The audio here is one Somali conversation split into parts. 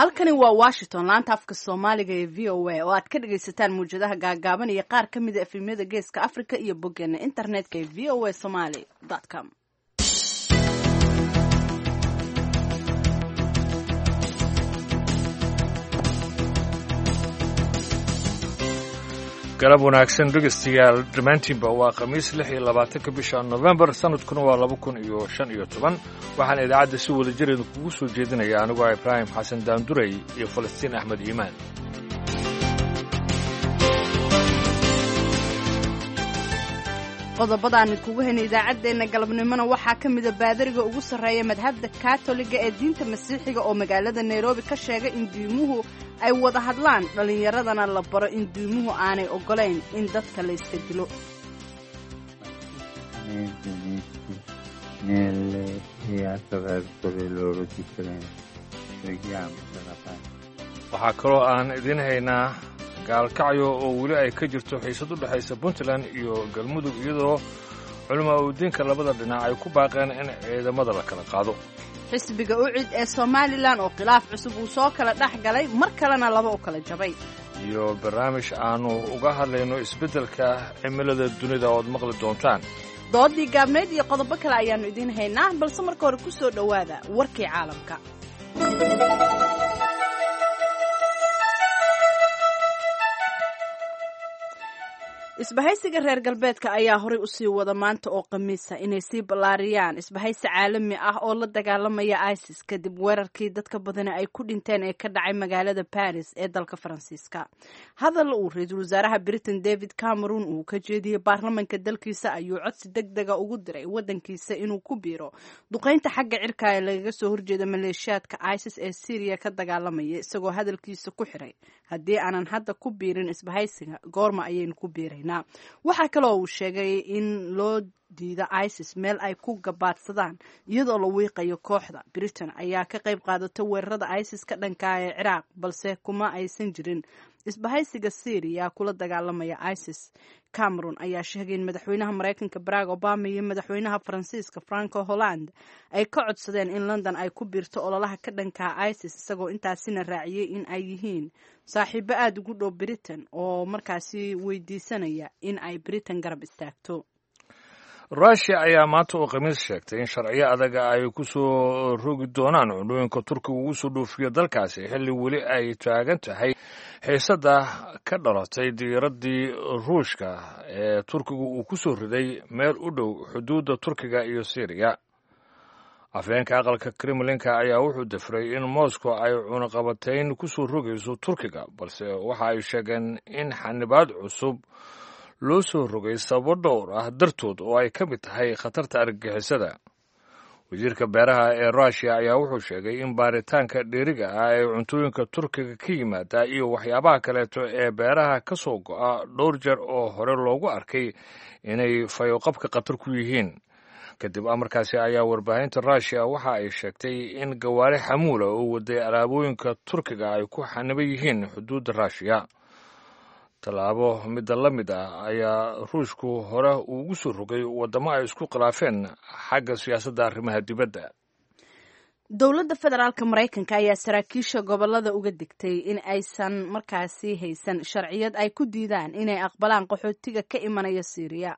Halkani waa Washington, laanta afka Soomaaliga ee VOA oo aad ka dhagaysataan muwjadaha gaagaaban iyo qaar ka mida efemyada Geeska Africa iyo boggeena internetka ee voasomali.com. Galab wanaagsan dhegeystayaal dhammaantiinba. Waa Khamiis, 26-ka bisha Nofembar, sanadkuna waa 2015. Waxaana idaacadda si wada jir idinkugu soo jeedinaya anigoo ah Ibraahim Xasan Daanduray iyo Falastiin Axmed Iimaan. Qodobadaan idkugu haynay idaacaddeenna galabnimona waxaa ka mida baadariga ugu sarreeya madhabda Katoliga ee diinta Masiixiga oo magaalada Nairobi ka sheegay in diimuhu ay wada hadlaan, dhallinyaradana la baro in diimuhu aanay oggolayn in dadka la yska dilo. Waxaa kaloo aan idiin haynaa Gaalkacyo oo weli ay ka jirto xiisad u dhexaysa Puntland iyo Galmudug, iyadoo culamaa udiinka labada dhinac ay ku baaqeen in ciidamada la kala qaado. Xisbiga UCID ee Somalilan oo khilaaf cusub uu soo kala dhex galay, mar kalena laba u kala jabay. Iyo barnaamij aannu uga hadlayno isbeddelka cimilada dunida ood maqli doontaan. Doodii gaabnayd iyo qodobo kale ayaannu idiin haynaa, balse marka hore ku soo dhowaada warkii caalamka. Isbahaysiga reer galbeedka ayaa horay usii wada maanta oo Khamiisa inay sii ballaariyaan isbahaysi caalami ah oo la dagaalamaya ISIS, kadib weerarkii dadka badani ay ku dhinteen ee ka dhacay magaalada Paris ee dalka Faransiiska. Hadal uu ra-iisul wasaaraha Britain David Cameron uu ka jeediyey baarlamanka dalkiisa ayuu codsi deg dega ugu diray wadankiisa inuu ku biiro duqeynta xagga cirka ee lagaga soo horjeeda maleeshiyaadka ISIS ee Syriya ka dagaalamaya, isagoo hadalkiisa ku xiray: "Haddii aanan hadda ku biirin isbahaysiga, goorma ayaynu ku biiraynaa?" Waxaa kaloo uu sheegay in loo diido ISIS meel ay ku gabaadsadaan iyadoo la wiiqayo kooxda. Britain ayaa ka qayb qaadata weerarada ISIS ka dhankaa ee Ciraaq, balse kuma aysan jirin isbahaysiga Syriya kula dagaalamaya ISIS. Cameron ayaa sheegay in madaxweynaha Mareykanka Barack Obama iyo madaxweynaha Faransiiska Franco Holland ay ka codsadeen in London ay ku biirto ololaha ka dhankaa ISIS, isagoo intaasina raaciyey in ay yihiin saaxiibo aada ugu dhow Britain oo markaasi weydiisanaya in ay Britain garab istaagto. Rushia ayaa maanta oo Khamiis sheegtay in sharciyo adaga ay ku soo rogi doonaan cunooyinka Turkiga ugu soo dhoofiyo dalkaasi, xilli weli ay taagan tahay xiisadda ka dhalatay diiraddii Ruushka ee Turkiga uu ku soo riday meel u dhow xuduudda Turkiga iyo Syriya. Afhayeenka aqalka Kremlinka ayaa wuxuu dafray in Moscow ay cunaqabatayn ku soo rogayso Turkiga, balse waxa ay sheegeen in xanibaad cusub loo soo rogay sababo dhowr ah dartood oo ay ka mid tahay khatarta argagixisada. Wasiirka beeraha ee Rushia ayaa wuxuu sheegay in baaritaanka dheeriga ah ee cuntooyinka Turkiga ka yimaada iyo waxyaabaha kaleeto ee beeraha ka soo go'a dhowr jeer oo hore loogu arkay inay fayoqabka khatar ku yihiin. Kadib amarkaasi ayaa warbaahinta Rushia waxa ay sheegtay in gawaari xamuula oo waday alaabooyinka Turkiga ay ku xaniban yihiin xuduudda Ruushiya. Tallaabo midda la mid ah ayaa Ruushku hore ugu soo rogay waddamo ay isku khilaafeen xagga siyaasadda arrimaha dibadda. Dowladda federaalka Maraykanka ayaa saraakiisha gobolada uga digtay in aysan markaasi haysan sharciyad ay ku diidaan inay aqbalaan qaxootiga ka imanaya Siiriya.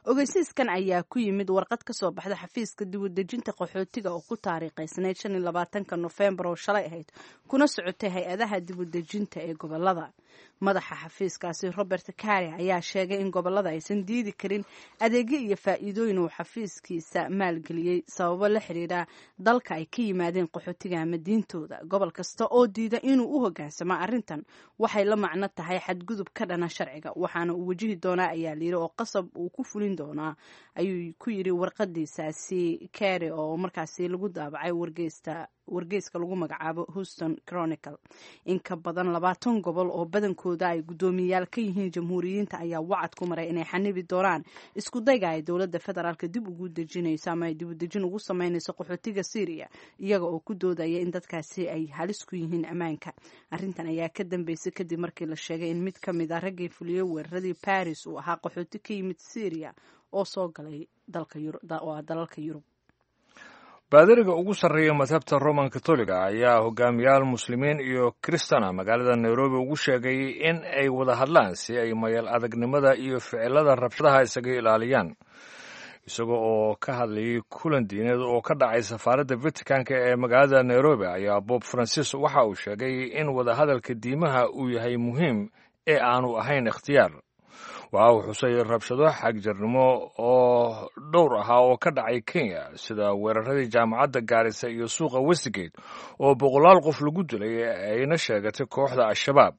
Ogeysiiskan ayaa ku yimid warqad ka soo baxda xafiiska dibudejinta qaxootiga oo ku taariikhaysnayd 25-ka Nofembar oo shalay ahayd, kuna socotay hay-adaha dibudejinta ee gobolada. Madaxa xafiiskaasi Robert Carey ayaa sheegay in gobolada aysan diidi karin adeegyo iyo faa'iidooyin uu xafiiskiisa maalgeliyey sababo la xiriira dalka ay ka yimaadeen qaxootiga ama diintooda. Gobol kasta oo diida inuu u hogaansamo arrintan waxay la macno tahay xadgudub ka dhana sharciga, waxaana uu wajihi doonaa, ayaa layidhi, oo qasab uu ku fulin doonaa, ayuu ku yidhi warqadiisaasi Carey oo markaasi lagu daabacay wargeysta wargeyska lagu magacaabo Houston Chronicle. In ka badan 20 gobol oo badankooda ay guddoomiyayaal ka yihiin Jamhuuriyiinta ayaa wacad ku maray inay xanibi doonaan isku dayga ay dowladda federaalka dib ugu dejinayso ama ay dibudejin ugu sameynayso qaxootiga Syriya, iyaga oo ku doodaya in dadkaasi ay halis ku yihiin ammaanka. Arrintan ayaa ka dambeysay kadib markii la sheegay in mid ka mid ah raggii fuliyey weeraradii Paris uu ahaa qaxooti ka yimid Syriya oo soo galay dalka oo dalalka Yurub. Baadariga ugu sarreeya madhabta Roman Katoliga ayaa hogaamiyaal muslimiin iyo kristana magaalada Nairobi ugu sheegay in ay wada hadlaan si ay mayal adagnimada iyo ficilada rabshadaha isaga ilaaliyaan. Isaga oo ka hadlayay kulan diineed oo ka dhacay safaaradda Vaticanka ee magaalada Nairobi ayaa Bob Francis waxa uu sheegay in wadahadalka diimaha uu yahay muhiim ee aanu ahayn ikhtiyaar. Waxa uu xusay rabshado xagjirnimo oo dhowr ahaa oo ka dhacay Kenya, sida weeraradii jaamacadda Gaarisa iyo suuqa Westgate oo boqolaal qof lagu dilay ayna sheegatay kooxda Al-Shabaab.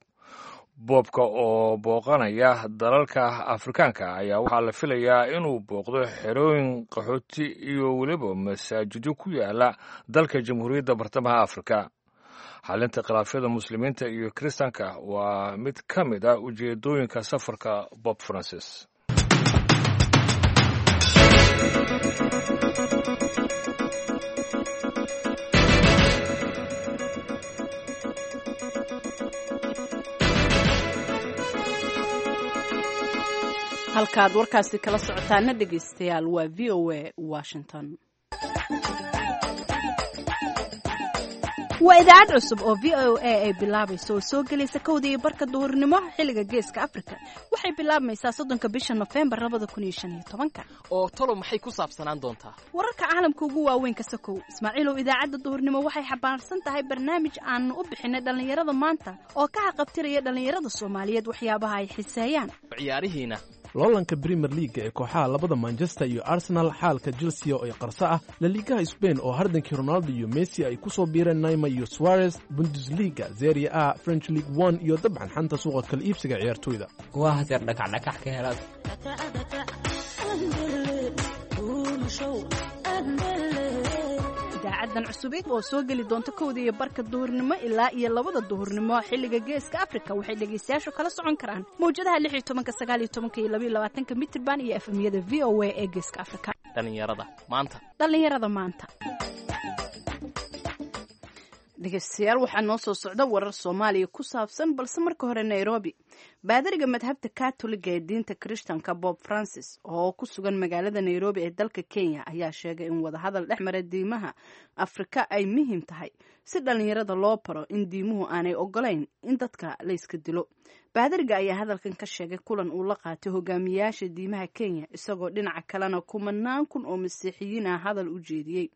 Boobka oo booqanaya dalalka Afrikaanka ayaa waxaa la filayaa inuu booqdo xerooyin qaxooti iyo weliba masaajidyo ku yaala dalka Jamhuuriyadda Bartamaha Afrika. Xalinta khilaafyada muslimiinta iyo kiristaanka waa mid ka mid ah ujeedooyinka safarka Bob Francis. Halkaad warkaasi kala socotaana, dhegaystayaal, waa VOA Washington. Waa idaacad cusub oo VOA ay bilaabayso oo soo gelaysa 1:30 duhurnimo xilliga Geeska Afrika. Waxay bilaabmaysaa 30-ka bisha Nofembar 2015-ka. Oo talo maxay ku saabsanaan doontaa? Wararka caalamka ugu waaweyn ka sokow, Ismaaciilow, idaacadda duhurnimo waxay xambaarsan tahay barnaamij aanu u bixinay Dhallinyarada Maanta oo ka haqabtiraya dhallinyarada Soomaaliyeed waxyaabaha ay xiseeyaan. Ciyaarihiina? Loolanka Premier Leaga ee kooxaha labada Manchester iyo Arsenal, xaalka Chelsea oo ay qarso ah, Laligaha Spain oo hardankii Ronaldo iyo Messi ay ku soo biireen Neymar iyo Suarez, Bundesliga, Serie A, French League One iyo dabcan xanta suuqa kala iibsiga ciyaartoyda. Waa haseer dhakacdhakax ka helaad. Idaacaddan cusubeed oo soo geli doonta 1:30 duhurnimo ilaa iyo 2-da duhurnimo xilliga Geeska Afrika waxay dhegaystayaashu kala socon karaan mawjadaha 16-ka, 19-ka iyo 22-ka mitirban iyo FM-yada VOA ee Geeska Afrika. Dhallinyarada Maanta. Dhallinyarada Maanta. Dhegeystayaal, waxaa noo soo socda warar Soomaaliya ku saabsan, balse marka hore Nairobi. Baadariga madhabta Katoliga ee diinta Kirishtanka, Bob Francis, oo ku sugan magaalada Nairobi ee dalka Kenya ayaa sheegay in wadahadal dhex mara diimaha Afrika ay muhiim tahay si dhallinyarada loo baro in diimuhu aanay ogolayn in dadka layska dilo. Baadariga ayaa hadalkan ka sheegay kulan uu la qaatay hogaamiyaasha diimaha Kenya, isagoo dhinaca kalena kumanaan kun oo masiixiyiin ah hadal u jeediyey.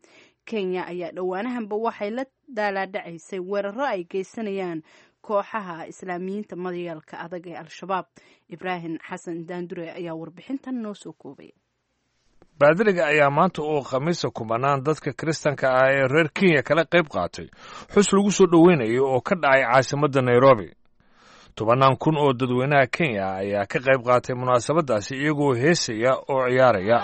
Kenya ayaa dhowaanahanba waxay la daalaadhacaysay weeraro ay geysanayaan kooxaha islaamiyiinta madayaalka adag ee Al-Shabaab. Ibraahim Xasan Daandure ayaa warbixintan noo soo koobay. Baadiriga ayaa maanta oo Khamiisa kumanaan dadka kiristanka ah ee reer Kenya kala qayb qaatay xus lagu soo dhoweynayay oo ka dhacay caasimadda Nairobi. Tobannaan kun oo dadweynaha Kenya ayaa ka qayb qaatay munaasabaddaasi iyagoo heesaya oo ciyaaraya.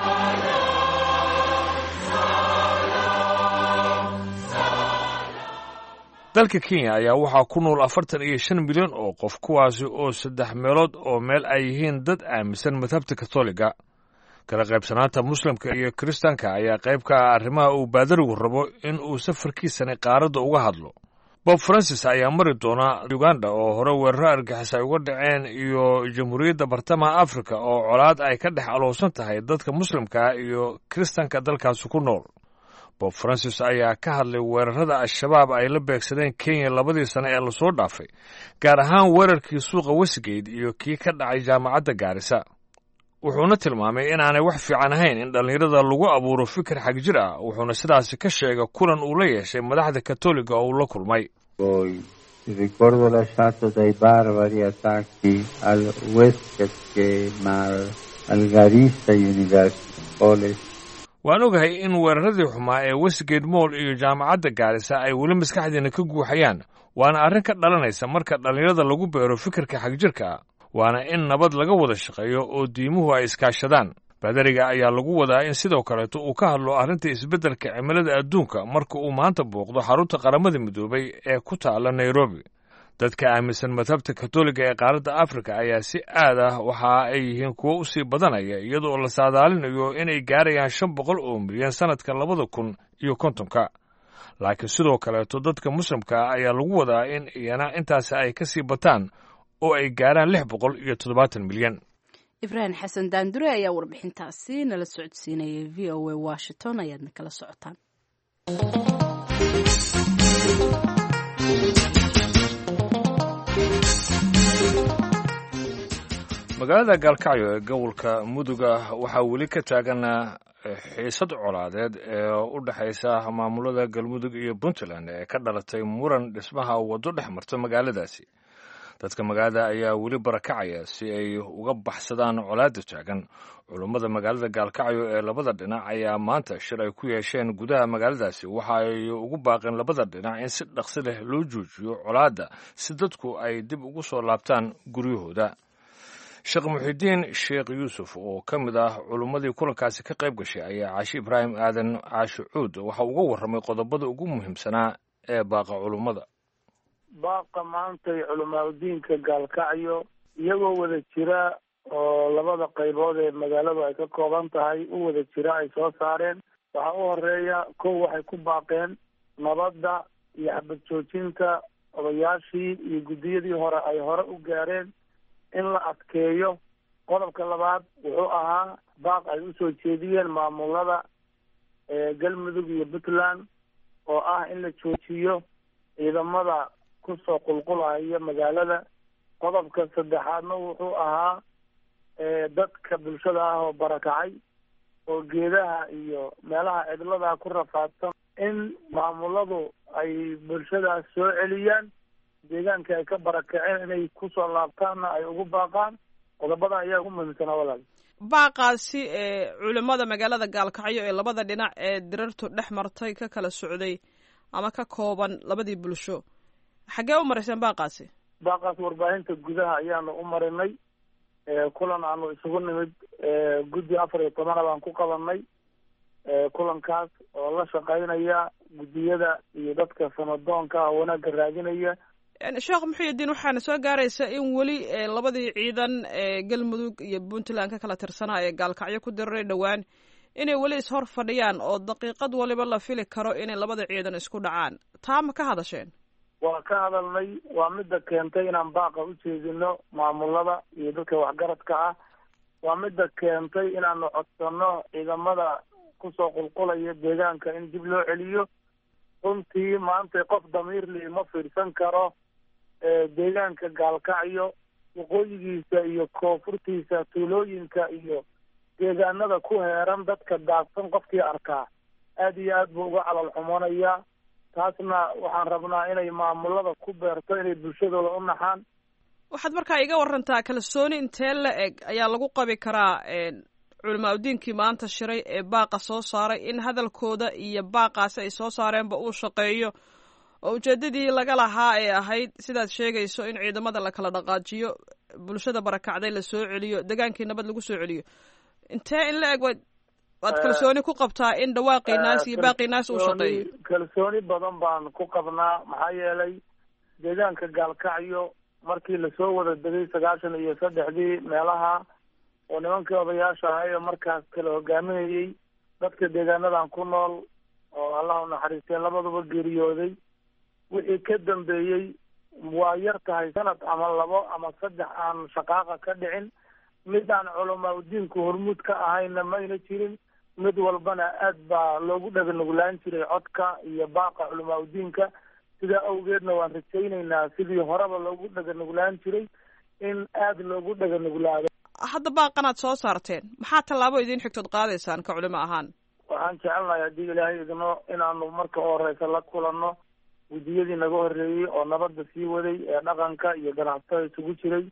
Dalka Kenya ayaa waxaa ku nool 45 milyan oo qof, kuwaasi oo saddex meelood oo meel ay yihiin dad aaminsan madhabta Katoliga. Kala qaybsanaanta muslimka iyo kiristaanka ayaa qayb ka ah arrimaha uu baadarigu rabo in uu safarkiisani qaaradda uga hadlo. Bob Francis ayaa mari doona Uganda oo hore weeraro argixis ay uga dhaceen iyo Jamhuuriyadda Bartamaha Afrika oo colaad ay ka dhex aloosan tahay dadka muslimka iyo kiristanka dalkaasi ku nool. Bob Francis ayaa ka hadlay weerarada Al-Shabaab ay la beegsadeen Kenya labadii sane ee lasoo dhaafay, gaar ahaan weerarkii suuqa Westgate iyo kii ka dhacay jaamacadda Gaarisa. Wuxuuna tilmaamay inaanay wax fiican ahayn in dhallinyarada lagu abuuro fikir xagjir ah, wuxuuna sidaasi ka sheegay kulan uu la yeeshay madaxda Katoliga oo uu la kulmay. Il ricordo lasciato dai barbari attacchi al Westgate Mall, al Garissa University College. Waan ogahay in weeraradii xumaa ee Westgate Mall iyo jaamacadda Gaarisa ay weli maskaxdiina ka guuxayaan, waana arrin ka dhalanaysa marka dhallinyarada lagu beero fikirka xagjirka ah, waana in nabad laga wada shaqeeyo oo diimuhu ay iskaashadaan. Baadariga ayaa lagu wadaa in sidoo kaleeto uu ka hadlo arrinta isbeddelka cimilada adduunka marka uu maanta booqdo xarunta Qaramada Midoobay ee ku taala Nairobi. Dadka aaminsan madhabta Katoliga ee qaaradda Afrika ayaa si aad ah waxa ay yihiin kuwo u sii badanaya, iyadoo la saadaalinayo inay gaarayaan 500 oo milyan sannadka 2050-ka. Laakiin sidoo kaleeto dadka muslimka ah ayaa lagu wadaa in iyana intaasi ay ka sii bataan oo ay gaaraan 670 milyan. Ibraahim Xasan Daandure ayaa warbixintaasi nala socodsiinayay. VOA Washington ayaadna kala socotaan. Magaalada Gaalkacyo ee gobolka Muduga waxaa weli ka taagan xiisad colaadeed ee u dhexaysa maamulada Galmudug iyo Puntland ee ka dhalatay muran dhismaha waddo dhex marta magaaladaasi. Dadka magaalada ayaa weli barakacaya si ay uga baxsadaan colaadda taagan. Culummada magaalada Gaalkacyo ee labada dhinac ayaa maanta shir ay ku yeesheen gudaha magaaladaasi waxa ay ugu baaqeen labada dhinac in si dhaqsi leh loo joojiyo colaadda si dadku ay dib ugu soo laabtaan guryahooda. Sheekh Muxidiin Sheekh Yuusuf oo ka mid ah culummadii kulankaasi ka qayb gashay ayaa Caashi Ibraahim Aadan Caashi Cuud waxa uga warramay qodobada ugu muhiimsanaa ee baaqa culummada. Baaqa maantay culimaadudiinka Gaalkacyo iyagoo wada jira oo labada qaybood ee magaaladu ay ka kooban tahay u wada jira ay soo saareen. Waxaa u horeeya kow, waxay ku baaqeen nabadda iyo xabad joojinta odayaashii iyo guddiyadii hore ay hore u gaareen in la adkeeyo. Qodobka labaad wuxuu ahaa baaq ay usoo jeediyeen maamulada Galmudug iyo Puntland oo ah in la joojiyo ciidamada kusoo qulqulaya magaalada. Qodobka saddexaadna wuxuu ahaa dadka bulshada ah oo barakacay oo geedaha iyo meelaha cidladaa ku rafaadsan in maamuladu ay bulshadaas soo celiyaan, deegaanka ay ka barakaceen inay kusoo laabtaanna ay ugu baaqaan. Qodobada ayaa ugu muhiimsanaa walaal. Baaqaasi ee culimmada magaalada Gaalkacyo ee labada dhinac ee dirartu dhex martay ka kala socday ama ka kooban labadii bulsho, xaggee u marayseen baaqaasi? Baaqaas warbaahinta gudaha ayaanu u marinay. Kulan aanu isugu nimid guddi 14 baan ku qabanay kulankaas oo la shaqaynaya guddiyada iyo dadka sanadoonka ah wanaagga raadinaya. Sheekh Muxuudiin, waxaana soo gaaraysa in weli labadii ciidan ee Galmudug iyo Puntland ka kala tirsanaa ee Gaalkacyo ku diriray dhowaan inay weli ishor fadhiyaan oo daqiiqad waliba la fili karo inay labada ciidan isku dhacaan. Taa ma ka hadasheen? Waa ka hadalnay. Waa midda keentay inaan baaqa u jeedino maamulada iyo dadka waxgaradka ah. Waa midda keentay inaanu codsanno ciidamada kusoo qulqulaya deegaanka in dib loo celiyo. Runtii maanta qof damiirli ma fiirsan karo deegaanka Gaalkacyo waqooyigiisa iyo koonfurtiisa, tuulooyinka iyo deegaanada ku heeran dadka daadsan qofkii arkaa aada iyo aad buu uga calal xumonayaa. Taasna waxaan rabnaa inay maamulada ku beerto inay bulshadooda u naxaan. Waxaad markaa iga warantaa kalsooni intee la eg ayaa lagu qabi karaa culamaa udiinkii maanta shiray ee baaqa soo saaray in hadalkooda iyo baaqaasi ay soo saareenba uu shaqeeyo oo ujeedadii laga lahaa ee ahayd sidaad sheegayso in ciidamada la kala dhaqaajiyo, bulshada barakacday la soo celiyo, degaankii nabad lagu soo celiyo? Intee in la eg waad kalsooni ku qabtaa in dhawaaqii naas iyo baaqii naas uu shaqeeyo? Kalsooni badan baan ku qabnaa, maxaa yeelay deegaanka Gaalkacyo markii lasoo wada degay 93-dii meelaha oo nimankii odayaasha ahay oo markaas kala hogaaminayay dadka deegaanadan ku nool oo Allah u naxariistee labaduba geeriyooday, wixii ka dambeeyey waa yar tahay sanad ama labo ama saddex aan shaqaaqa ka dhicin. Mid aan culamaa udiinku hormuud ka ahayna mayna jirin. Mid walbana aad baa loogu dhaganuglaan jiray codka iyo baaqa culamaa udiinka. Sidaa awgeedna waan rajaynaynaa sidii horeba loogu dhaganuglaan jiray in aada loogu dhaganuglaado. Hadda baaqanaad soo saarteen, maxaa tallaabo idiin xigtood qaadaysaan ka culimo ahaan? Waxaan jecelnahay haddii Ilaahay idno inaanu marka horeysa la kulanno guddiyadii naga horreeyey oo nabadda sii waday ee dhaqanka iyo ganacsatada isugu jiray,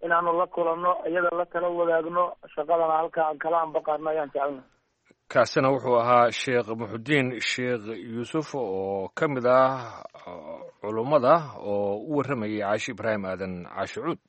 inaanu la kulanno, iyada la kala wadaagno shaqadana halka aan kala ambaqaadno ayaan jecelnahay. Kaasina wuxuu ahaa Sheekh Muxudiin Sheekh Yuusuf oo ka mid ah culummada oo u warramayay Caashi Ibraahim Aadan Caashi Cuud.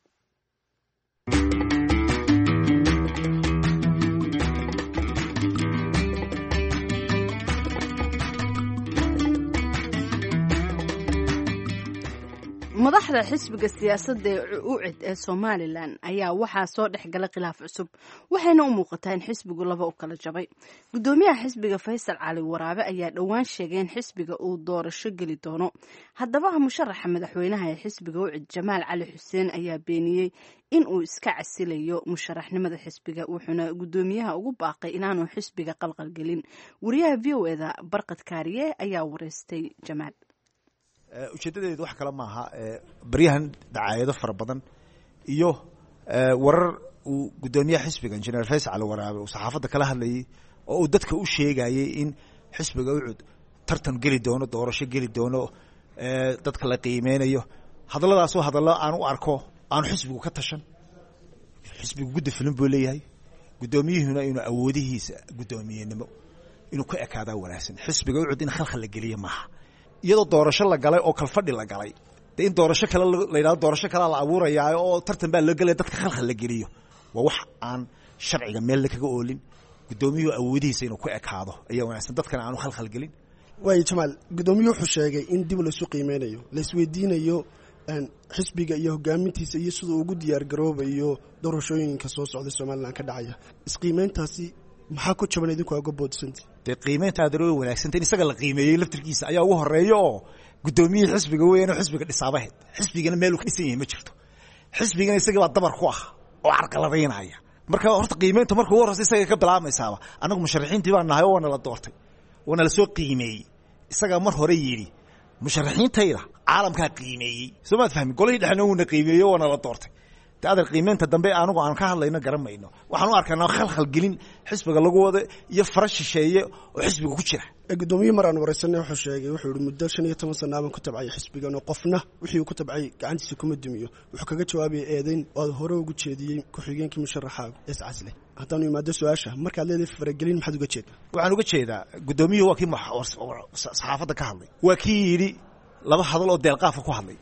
Madaxda xisbiga siyaasadda ee UCID ee Somalilan ayaa waxaa soo dhex galay khilaaf cusub, waxayna u muuqataa in xisbigu laba u kala jabay. Gudoomiyaha xisbiga Faysal Cali Waraabe ayaa dhowaan sheegay in xisbiga uu doorasho geli doono. Haddaba musharaxa madaxweynaha ee xisbiga UCID Jamaal Cali Xuseen ayaa beeniyey in uu iska casilayo musharaxnimada xisbiga, wuxuuna gudoomiyaha ugu baaqay inaanu xisbiga qalqalgelin. Wariyaha v o eda Barqad Kaariye ayaa wareystay Jamaal. Ujeeddadeedu wax kale maaha, baryahan dacaayado fara badan iyo warar uu guddoomiyaha xisbiga injineer Faysal Cali Waraabe uu saxaafadda kala hadlayay oo uu dadka u sheegayay in xisbiga UCUD tartan geli doono, doorasho geli doono, dadka la qiimeynayo. Hadalladaasoo hadallo aan u arko aanu xisbigu ka tashan. Xisbigu guddi fulin buu leeyahay, guddoomiyuhuna inuu awoodihiisa guddoomiyenimo inuu ka ekaadaa wanaagsan. Xisbiga UCUD in khalkhal la geliye maaha, iyadoo doorasho la galay oo kalfadhi la galay dee in doorasho kale la yidhahdo, doorasho kalea la abuurayaa oo tartan baa loo gelaya, dadka khalkhal la geliyo waa wax aan sharciga meelna kaga oolin. Guddoomiyuhu awoodihiisa inuu ku ekaado ayaa wanaagsan, dadkana aanu khalkhal gelin. Waayo Jamaal, guddoomiyuhu wuxuu sheegay in dib laysu qiimeynayo, laisweydiinayo xisbiga iyo hogaamintiisa iyo siduu ugu diyaar garoobayo doorashooyinka soo socda Somalilan ka dhacaya. Isqiimeyntaasi maxaa ku jaban idinku aa uga boodsanti? Dee qiimeynta aadar way wanaagsanta in isaga la qiimeeyey laftirkiisa ayaa ugu horeeya oo guddoomiyihii xisbiga weeyaan oo xisbiga dhisaabaheed. Xisbigana meeluu ka dhisan yahay ma jirto, xisbigana isaga baa dabar ku ah oo carqaladaynaya. Marka horta qiimeynta marka ugu horreysa isaga ka bilaabmaysaaba. Annagu musharaxiintii baan nahay oo waana la doortay, waana la soo qiimeeyey. Isagaa mar hore yidhi musharaxiintayda caalamkaa qiimeeyey, soo maad fahmin? Golihii dhexna wuuna qiimeeyey, waana la doortay. Adar qiimeynta dambe anigu aan ka hadlayno garan mayno. Waxaan u arkaynaa khalkhal gelin xisbiga lagu wado iyo fara shisheeye oo xisbiga ku jira. Gudoomiye mar aan wareysanay wuxuu sheegay, wuxuu yihi muddo 15 sana baan ku tabcay xisbigan oo qofna wixii uu ku tabcay gacantiisa kuma dumiyo. Wuxuu kaga jawaabayay eedeyn oo aad hore ugu jeediyey ku-xigeenkii musharaxaagu iscasle. Haddaanu imaado su-aasha, markaad leedahay faragelin maxaad uga jeedaa? Waxaan uga jeedaa guddoomiyuhu waa kii saxaafadda ka hadlay, waa kii yidhi laba hadal oo deelqaafa ku hadlay,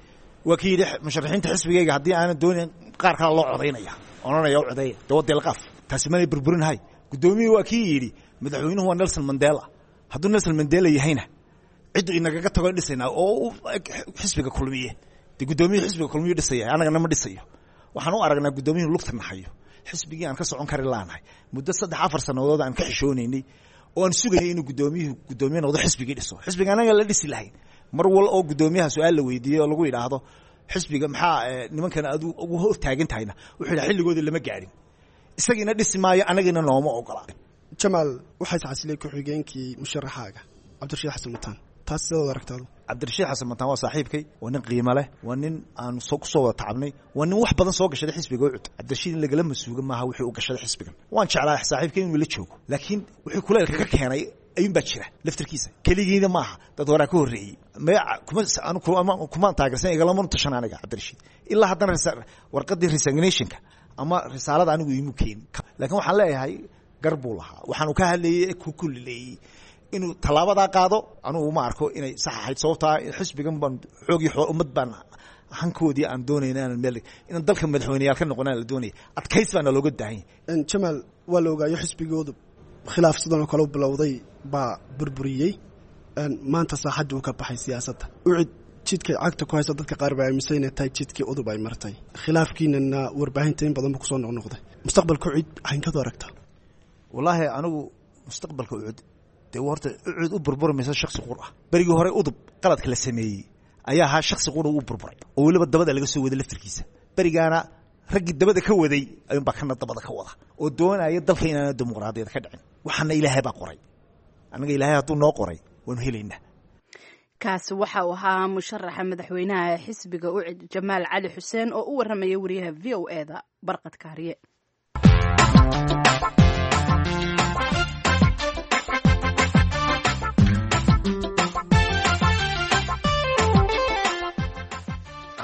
waa kii yidhi musharaxiinta xisbigayga haddii aanan doonayn qaar kala loo codaynaya, odhanaya u codeeya. Dee waa deelqaaf, taasi manay burburinahay. Guddoomiyuhu waa kii yidhi madaxweynuhu waa Nelson Mandela, hadduu Nelson Mandela yahayna ciddu inagaga tago dhisaynaa oo xisbiga Kulmiye. Dee guddoomiyuhu xisbiga Kulmiyu dhisaya, annagana ma dhisayo. Waxaan u aragnaa guddoomiyuhu lugta nahayo xisbigii aan ka socon kari laanahay muddo 3-4 sannadood aan ka xishoonaynay oo aan sugayay inuu guddoomiyuhu guddoomiye noqdo, xisbigii dhiso, xisbiga annaga la dhisi lahayn. Mar wal oo guddoomiyaha su-aal la weydiiyey oo lagu yidhaahdo xisbiga maxaa nimankan aad ugu hor taagan tahayna, wuxuu yidhaha xilligoodii lama gaadhin, isagiina dhisi maayo, annagiina nooma ogola. Jamaal, waxaa iscasilay ku-xigeenkii musharaxaaga Cabdirashiid Xasan Mataan, taas sidaad aragtaadu? Cabdirashiid Xasan Mataan waa saaxiibkay, waa nin qiimo leh, waa nin aan soo kusoo wada tacabnay, waa nin wax badan soo gashaday xisbiga UCUD. Cabdirashiid in lagala masuuga maaha wixii u gashaday xisbigan. Waan jeclaa saaxiibkay inuu la joogo, laakiin wixii kuleelka ka keenay ayuun baa jira laftirkiisa. Keligiina maaha, dad horaa ka horreeyey. Maya kumaan taageersan, igalama tashan aniga Cabdirashiid. Ilaa haddana warqaddii resignationka ama risaalada anigu iimu keenin, laakiin waxaan leeyahay gar buu lahaa. Waxaanu ka hadlayey ku kulileeyey inuu tallaabadaa qaado anugu uma arko inay sax ahayd, sababtaa xisbigan baan xoogii ummad baan hankoodii aan doonayna inaan meel inaan dalka madaxweyneyaal ka noqonaan la doonaya, adkays baana looga baahan yahay. Jamaal, waa la ogaayo xisbigoodu khilaaf sidan oo kale u bilowday baa burburiyey, maanta saaxadda uu ka baxay siyaasadda. UCID jidka cagta ku haysa dadka qaar baa aaminsan inay tahay jidkii udub ay martay, khilaafkiinana warbaahinta in badan ba kusoo noqnoqday. Mustaqbalka UCID xankadu aragtaa? Wallaahi anigu mustaqbalka UCUD dee horta UCUD u burburi mayso shaksi qur ah. Berigii hore udub qaladka la sameeyey ayaa ahaa shaksi qura u burburay oo weliba dabada laga soo waday laftirkiisa. Berigaana raggii dabada ka waday ayuunbaa kana dabada ka wada oo doonaya dalka inaana dimuqraadiyad ka dhicin. Waxaana Ilaahay baa qoray, annaga Ilaahay hadduu noo qoray waanu helaynaa. Kaasi waxa uu ahaa musharaxa madaxweynaha xisbiga UCID Jamaal Cali Xuseen oo u warramaya wariyaha v o e da Barqad Kaariye.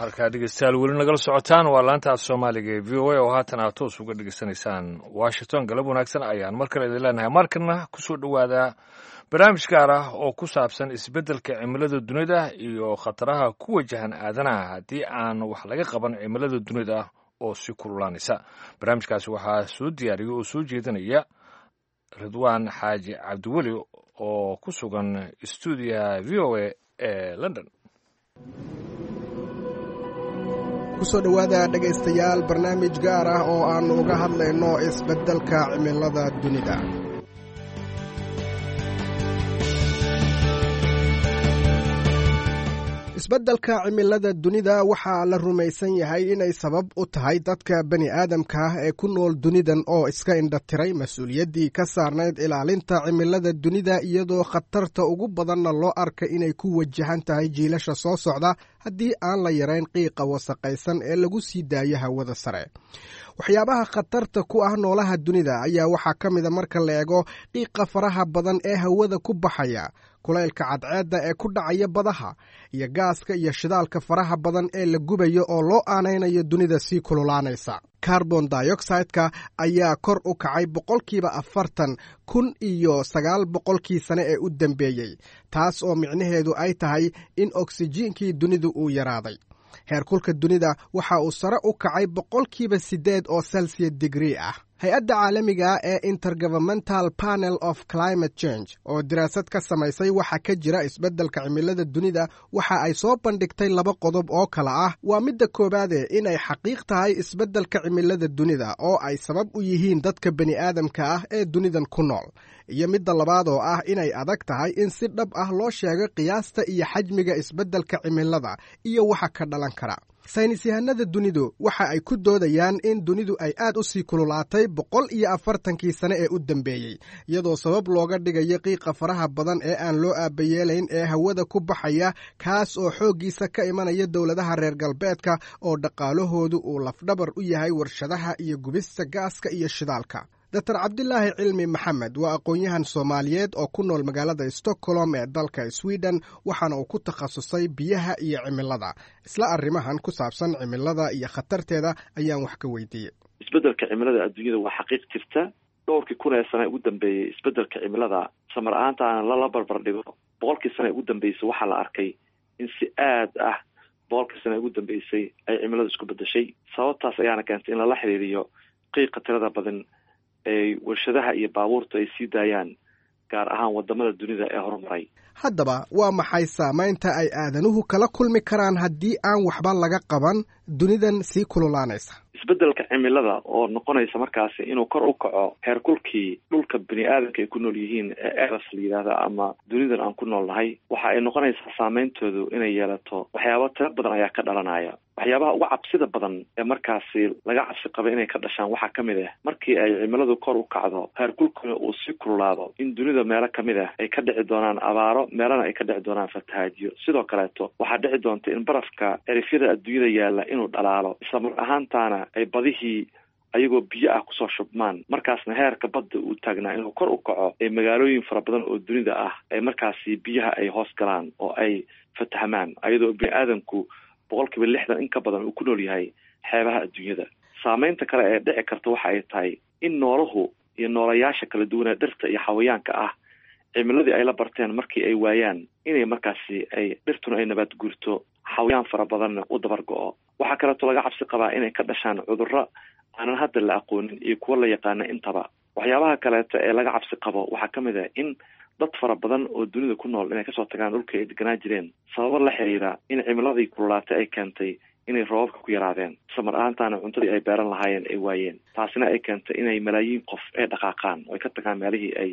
Halkaa dhegeystayaal weli nagala socotaan waa laanta af Soomaaliga ee v o a oo haatan aad toos uga dhegeysanaysaan Washington. Galab wanaagsan ayaan mar kale idin leenahay. Markana kusoo dhowaada barnaamij gaar ah oo ku saabsan isbeddelka cimilada dunida iyo khataraha ku wajahan aadanaha haddii aan wax laga qaban cimilada dunida oo si kululaanaysa. Barnaamijkaasi waxaa soo diyaariya oo soo jeedinaya Ridwaan Xaaji Cabdiweli oo ku sugan stuudiyaha v o a ee London. Kusoo dhowaada dhegaystayaal barnaamij gaar ah oo aannu uga hadlayno isbeddelka cimilada dunida. Isbeddelka cimilada dunida waxaa la rumaysan yahay inay sabab u tahay dadka bani aadamka ah ee ku nool dunidan oo iska indhatiray mas-uuliyaddii ka saarnayd ilaalinta cimilada dunida, iyadoo khatarta ugu badanna loo arka inay ku wajahan tahay jiilasha soo socda haddii aan la yarayn qiiqa wasaqaysan ee lagu sii daayo hawada sare. Waxyaabaha khatarta ku ah noolaha dunida ayaa waxaa ka mida, marka la eego qiiqa faraha badan ee hawada ku baxaya, kulaylka cadceedda ee ku dhacaya badaha, iyo gaaska iyo shidaalka faraha badan ee la gubayo oo loo aanaynayo dunida sii kululaanaysa. Carbon dioxide-ka ayaa kor u kacay 40% 1900kii sane ee u dambeeyey, taas oo micnaheedu ay tahay in oksijiinkii dunidu uu yaraaday. Heerkulka dunida waxa uu sare u kacay 8% oo celsius degree ah. Hay-adda caalamiga ee Intergovernmental Panel of Climate Change oo daraasad ka samaysay waxa ka jira isbeddelka cimilada dunida waxa ay soo bandhigtay laba qodob oo kale ah. Waa midda koowaade inay xaqiiq tahay isbeddelka cimilada dunida oo ay sabab u yihiin dadka bani aadamka ah ee dunidan ku nool, iyo midda labaad oo ah inay adag tahay in si dhab ah loo sheego qiyaasta iyo xajmiga isbeddelka cimilada iyo waxa ka dhalan kara. Saynis yahanada dunidu waxa ay ku doodayaan in dunidu ay aad u sii kululaatay 140kii sane ee u dambeeyey, iyadoo sabab looga dhigayo qiiqa faraha badan ee aan loo aabayeelayn ee hawada ku baxaya, kaas oo xooggiisa ka imanaya dowladaha reer galbeedka oo dhaqaalahoodu uu lafdhabar u yahay warshadaha iyo gubista gaaska iyo shidaalka. Dr Cabdilaahi Cilmi Maxamed waa aqoon-yahan Soomaaliyeed oo ku nool magaalada Stockholm ee dalka Sweden, waxaana uu ku takhasusay biyaha iyo cimilada. Isla arrimahan ku saabsan cimilada iyo khatarteeda ayaan wax ka weydiiyey. Isbeddelka cimilada adduunyada waa xaqiiq jirta. Dhowrkii kun ee sane ugu dambeeyey isbeddelka cimilada samar ahaanta aan lala barbar dhigo 100kii sane ugu dambeysay, waxaa la arkay in si aad ah 100kii sane ugu dambeysay ay cimiladu isku bedeshay. Sababtaas ayaana keentay in lala xiriiriyo qiiqa tirada badan ay warshadaha iyo baabuurtu ay sii daayaan, gaar ahaan wadamada dunida ee horumaray. Haddaba waa maxay saamaynta ay aadanuhu kala kulmi karaan haddii aan waxba laga qaban dunidan sii kululaanaysa? Isbeddelka cimilada oo noqonaysa markaasi inuu kor u kaco heerkulkii dhulka bini aadamka ay ku nool yihiin ee eras la yidhaahda ama dunidan aan ku nool nahay, waxa ay noqonaysaa saameyntoodu inay yeelato waxyaabo tiro badan ayaa ka dhalanaya. Waxyaabaha uga cabsida badan ee markaasi laga cabsi qaba inay ka dhashaan waxaa ka mid ah, markii ay cimiladu kor u kacdo, heerkulkuna uu sii kululaado, in dunida meelo kamid ah ay ka dhici doonaan abaaro, meelana ay ka dhici doonaan fatahaajiyo. Sidoo kaleeto waxaa dhici doonta in barafka erifyada adduunyada yaalla inuu dhalaalo, isla mar ahaantaana ay badihii ayagoo biyo ah kusoo shubmaan, markaasna heerka badda uu taagnaa inuu kor u kaco, ee magaalooyin fara badan oo dunida ah ay markaasi biyaha ay hoos galaan oo ay fatahmaan, ayadoo bini aadamku 60% in ka badan uu ku nool yahay xeebaha adduunyada. Saameynta kale ee dhici karta waxa ay tahay in noolahu iyo noolayaasha kala duwanee dhirta iyo xawayaanka ah cimiladii ay la barteen markii ay waayaan, inay markaasi ay dhirtuna ay nabaad guurto, xawayaan fara badanna u dabar go-o. Waxaa kaleeto laga cabsi qabaa inay ka dhashaan cudurro aanan hadda la aqoonin iyo kuwo la yaqaana intaba. Waxyaabaha kaleeto ee laga cabsi qabo waxaa ka mid ah in dad fara badan oo dunida ku nool inay kasoo tagaan dhulka ay deganaa jireen, sababo la xiriira in cimiladii kululaatay ay keentay inay roobabka ku yaraadeen, samar ahaantaana cuntadii ay beeran lahaayeen ay waayeen, taasina ay keentay inay malaayiin qof ay dhaqaaqaan oo ay ka tagaan meelihii ay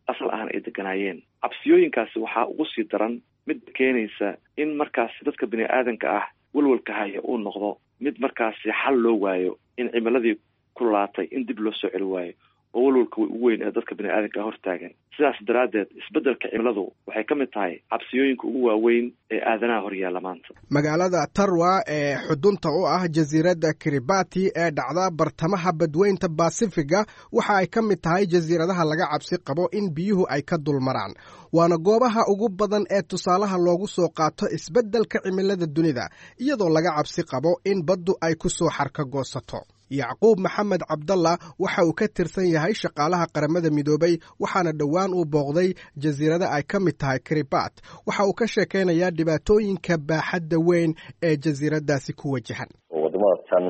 asal ahaan ay deganaayeen. Cabsiyooyinkaasi waxaa ugu sii daran mid keenaysa in markaasi dadka bini aadanka ah walwalka haya uu noqdo mid markaasi xal loo waayo, in cimiladii kululaatay in dib loo soo celi waayo, oo walwalka ugu weyn ee dadka bini aadanka hortaagan. Sidaas daraaddeed isbeddelka cimiladu waxay ka mid tahay cabsiyooyinka ugu waaweyn ee aadanaha horyaalla maanta. Magaalada Tarwa ee xudunta u ah jasiiradda Kiribati ee dhacda bartamaha badweynta Basifiga waxa ay ka mid tahay jasiiradaha laga cabsi qabo in biyuhu ay ka dulmaraan, waana goobaha ugu badan ee tusaalaha loogu soo qaato isbeddelka cimilada dunida, iyadoo laga cabsi qabo in baddu ay ku soo xarka goosato. Yacquub Maxamed Cabdalla waxa uu ka tirsan yahay shaqaalaha Qaramada Midoobay, waxaana dhowaan uu booqday jasiirada ay ka mid tahay Kiribat. Waxa uu ka sheekaynayaa dhibaatooyinka baaxadda weyn ee jasiiradaasi ku wajahan. Wadamada tan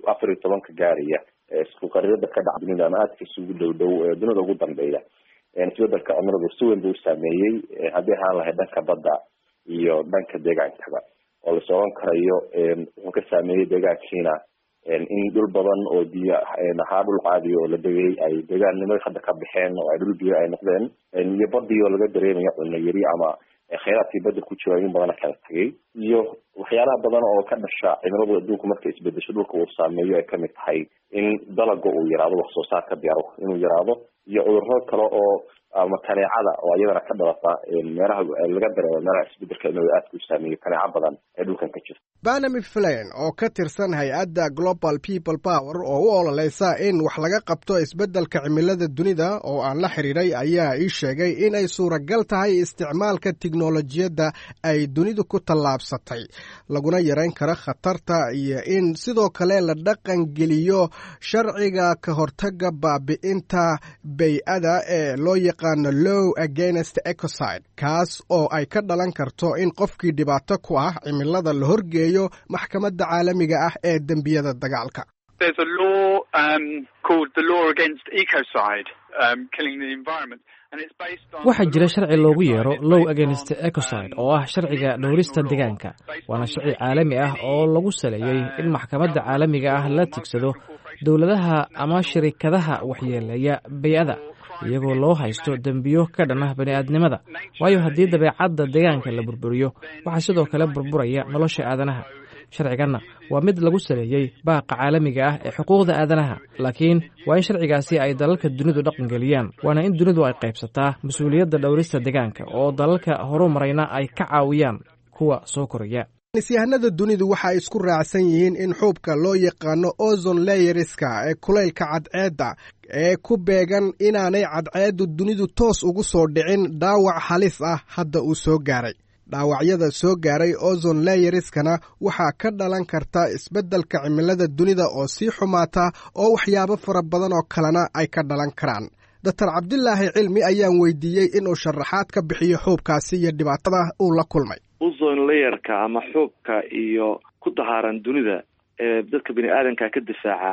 14ka gaaraya isku qarirada ka dhaca dunida ama aadka isugu dhow dhow dunida ugu dambeeya, isbedelka cimiladu si weyn buu u saameeyey, haddii ahaan lahayd dhanka badda iyo dhanka deegaankaba. oo la sooran karayo wuxuu ka saameeyey deegaankiina in dhul badan oo biyo ahaa dhul caadi oo la degay ay deegaannimada hadda ka baxeen oo ay dhul biyo ay noqdeen, iyo badii oo laga dareemayo cunno yari ama kheyraadkii badda ku jira in badana kala tagay, iyo waxyaalaha badan oo ka dhasha cimiladu adduunku markay isbedesho dhulka uu saameeyo ay kamid tahay in dalaga uu yaraado, wax soo saarka beeruhu inuu yaraado, iyo cudurro kale oo ama kaneecada oo iyadana ka dhalata meelaha laga dareemo meelaha isbedelka cimilada aadka u saameeyo, kaneeco badan ee dhulkan ka jirta. Banami Flane oo ka tirsan hay-adda Global People Power oo u ololeysa in wax laga qabto isbeddelka cimilada dunida oo aan la xiriiray ayaa ii sheegay inay suuragal tahay isticmaalka tiknolojiyadda ay dunidu ku tallaabsatay laguna yareyn karo khatarta, iyo in sidoo kale la dhaqangeliyo sharciga ka hortagga baabi'inta bay-ada ee loo yaqaano Law Against Ecocide, kaas oo ay ka dhalan karto in qofkii dhibaato ku ah cimilada la horgeeyo maxkamadda caalamiga ah ee dembiyada dagaalka. Waxaa jira sharci loogu yeero Law Against Ecocide oo ah sharciga dhowrista deegaanka, waana sharci caalami ah oo lagu saleeyey in maxkamadda caalamiga ah la tigsado dowladaha ama shirikadaha waxyeeleeya bay-ada iyagoo loo haysto dembiyo ka dhan ah bani'aadnimada. Waayo, haddii dabeecadda deegaanka la burburiyo, waxaa sidoo kale burburaya nolosha aadanaha. Sharciganna waa mid lagu saleeyey baaqa caalamiga ah ee xuquuqda aadanaha, laakiin waa in sharcigaasi ay dalalka dunidu dhaqangeliyaan, waana in dunidu ay qaybsataa mas-uuliyadda dhowrista deegaanka oo dalalka horumarayna ay ka caawiyaan kuwa soo koraya. Saynisyahanada dunidu waxa ay isku raacsan yihiin in xuubka loo yaqaano ozone layerska ee kulaylka cadceedda ee ku beegan inaanay cadceeddu dunidu toos ugu soo dhicin dhaawac halis ah hadda uu soo gaaray. Dhaawacyada soo gaaray ozone layerskana waxaa ka dhalan karta isbeddelka cimilada dunida oo sii xumaata oo waxyaabo fara badan oo kalena ay ka dhalan karaan. Doctor Cabdilaahi Cilmi ayaan weydiiyey inuu sharaxaad ka bixiyo xuubkaasi iyo dhibaatada uu la kulmay. Ozone layerka ama xuubka iyo ku dahaaran dunida ee dadka bini aadanka ka difaaca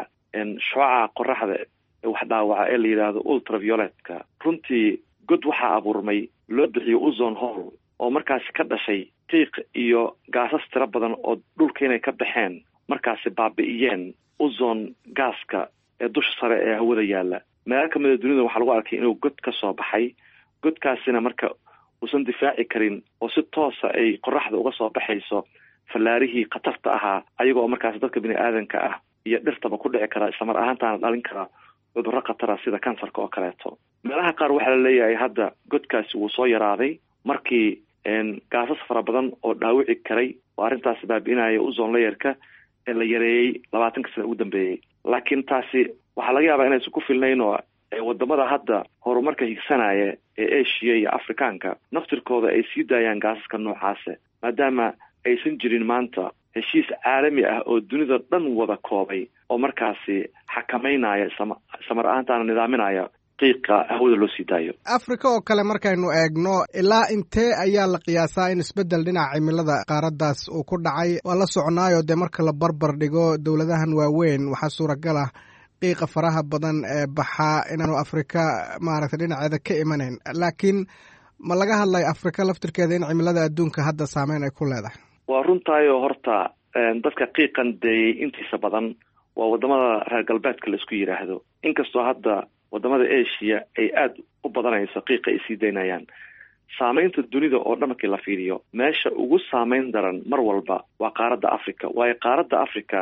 shucaca qoraxda ee wax dhaawaca ee la yidhaahdo ultravioletka, runtii god waxaa abuurmay loo bixiyo ozone hole oo markaasi ka dhashay qiiq iyo gaasas tiro badan oo dhulka inay ka baxeen markaasi baabi'iyeen ozone gaaska ee dusha sare ee hawada yaalla. Meelo kamida dunida waxaa lagu arkay inuu god ka soo baxay, godkaasina marka uusan difaaci karin oo si toosa ay qoraxda uga soo baxayso fallaarihii khatarta ahaa, ayagoo markaasi dadka bini aadanka ah iyo dhirtaba ku dhici kara, islamar ahaantaana dhalin kara cudurro khatara sida kansarka oo kaleeto. Meelaha qaar waxaa la leeyahay hadda godkaasi wuu soo yaraaday markii gaasas fara badan oo dhaawici karay oo arrintaasi baabi'inaya ozone layerka ee la yareeyey 20-ka sana ugu dambeeyey. Laakiin taasi waxaa laga yaabaa inaysan ku filnayn oo wadamada hadda horumarka higsanaya ee Asia iyo Afrikaanka naftirkooda ay sii daayaan gaasaska noocaase, maadaama aysan jirin maanta heshiis caalami ah oo dunida dhan wada koobay oo markaasi xakameynaya islamar ahaantaana nidaaminaya qiiqa hawada loo sii daayo. Afrika oo kale markaynu eegno, ilaa intee ayaa la qiyaasaa in isbeddel dhinaca cimilada qaaraddaas uu ku dhacay? Waa la soconaayo dee marka la barbar dhigo dowladahan waaweyn waxaa suuragal ah qiiqa faraha badan ee baxaa inaanu Afrika maaragtay dhinaceeda ka imanayn, laakiin ma laga hadlayo Afrika laftirkeeda in cimilada adduunka hadda saameyn ay ku leedahay? Waa runtaayoo horta dadka qiiqan deeyey intiisa badan waa wadamada reer galbeedka la isku yidhaahdo, inkastoo hadda wadamada Asia ay aada u badanayso qiiqa ay sii daynayaan. Saameynta dunida oo dhan markii la fiiriyo, meesha ugu saameyn daran mar walba waa qaaradda Africa, waayo qaaradda Africa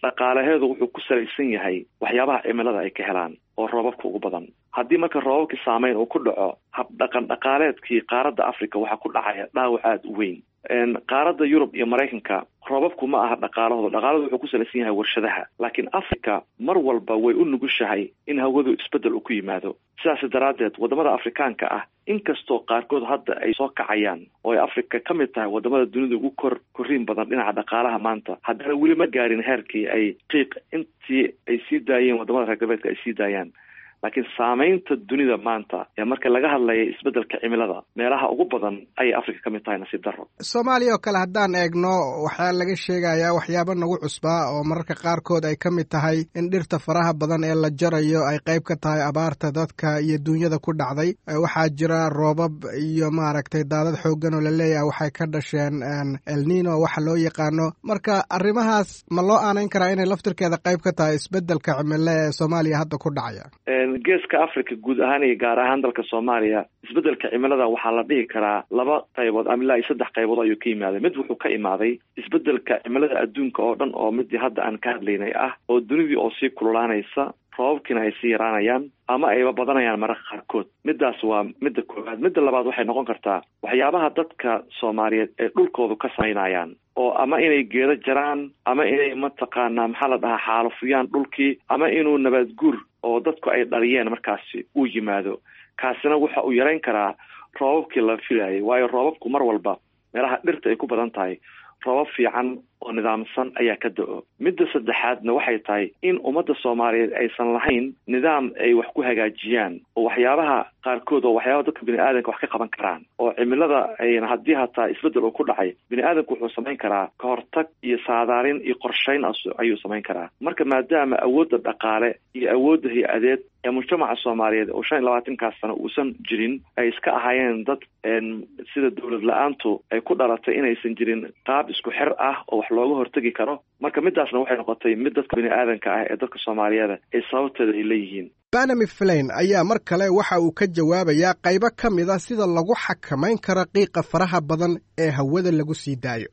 dhaqaalaheedu wuxuu ku salaysan yahay waxyaabaha cimilada ay ka helaan oo roobabka ugu badan. Haddii marka roobabkii saameyn uu ku dhaco, habdhaqan dhaqaaleedkii qaaradda Africa waxaa ku dhacaya dhaawac aada u weyn. Qaaradda Yurub iyo Maraykanka roobabku ma aha dhaqaalahooda, dhaqaalahooda wuxuu ku salaysan yahay warshadaha, laakiin Africa mar walba way u nugushahay in hawadu isbeddel uu ku yimaado. Sidaas daraaddeed wadamada Afrikaanka ah, inkastoo qaarkood hadda ay soo kacayaan oo ay Africa ka mid tahay wadamada dunida ugu korriin badan dhinaca dhaqaalaha maanta, haddana weli ma gaarin heerkii ay qiiq intii ay sii daayeen wadamada reer galbeedka ay sii daayaan. Laakiin saameynta dunida maanta ee marka laga hadlaya isbeddelka cimilada, meelaha ugu badan ayay Africa ka mid tahay, nasiib darro. Soomaaliya oo kale haddaan eegno, waxaa laga sheegayaa waxyaabo nagu cusbaa oo mararka qaarkood ay ka mid tahay in dhirta faraha badan ee la jarayo ay qayb ka tahay abaarta dadka iyo duunyada ku dhacday. Waxaa jira roobab iyo maaragtay daadad xooggan oo laleeyahay waxay ka dhasheen Elnino waxa loo yaqaano. Marka arrimahaas ma loo aanayn karaa inay laftirkeeda qayb ka tahay isbeddelka cimilo ee Soomaaliya hadda ku dhacaya? Geeska Africa guud ahaan iyo gaar ahaan dalka Soomaaliya, isbeddelka cimilada waxaa la dhihi karaa laba qaybood ama ilaa iyo saddex qaybood ayuu ka yimaaday. Mid wuxuu ka imaaday isbeddelka cimilada adduunka oo dhan, oo midii hadda aan ka hadlaynay ah, oo dunidii oo sii kululaanaysa, roobabkiina ay sii yaraanayaan ama ayba badanayaan mararka qaarkood. Midaas waa midda koowaad. Midda labaad waxay noqon kartaa waxyaabaha dadka Soomaaliyeed ay dhulkoodu ka samaynayaan, oo ama inay geedo jaraan, ama inay mataqaanaa maxaa la dhahaa xaalufiyaan dhulkii, ama inuu nabaad guur oo dadku ay dhaliyeen markaasi uu yimaado. Kaasina waxa uu yarayn karaa roobabkii la filayay, waayo roobabku mar walba meelaha dhirta ay ku badan tahay roobab fiican oo nidaamsan ayaa ka da-o. Midda saddexaadna waxay tahay in ummadda Soomaaliyeed aysan lahayn nidaam ay wax ku hagaajiyaan, oo waxyaabaha qaarkood oo waxyaabaha dadka bini aadamka wax ka qaban karaan oo cimilada ayna haddii hataa isbeddel uu ku dhacay, bini aadamku wuxuu samayn karaa kahortag iyo saadaalin iyo qorshayn ayuu samayn karaa. Marka maadaama awoodda dhaqaale iyo awoodda hay-adeed ee mujtamaca Soomaaliyeed oo 25-kaas sano uusan jirin, ay iska ahaayeen dad sida dowlad la-aantu ay ku dhalatay, inaysan jirin qaab isku xir ah oo wax looga hortegi karo. Marka midaasna waxay noqotay mid dadka bini aadanka ah ee dadka Soomaaliyeed ay sababteeda ay leeyihiin. Banami Flain ayaa mar kale waxa uu ka jawaabayaa qaybo ka mid a sida lagu xakamayn karo qiiqa faraha badan ee hawada lagu sii daayo.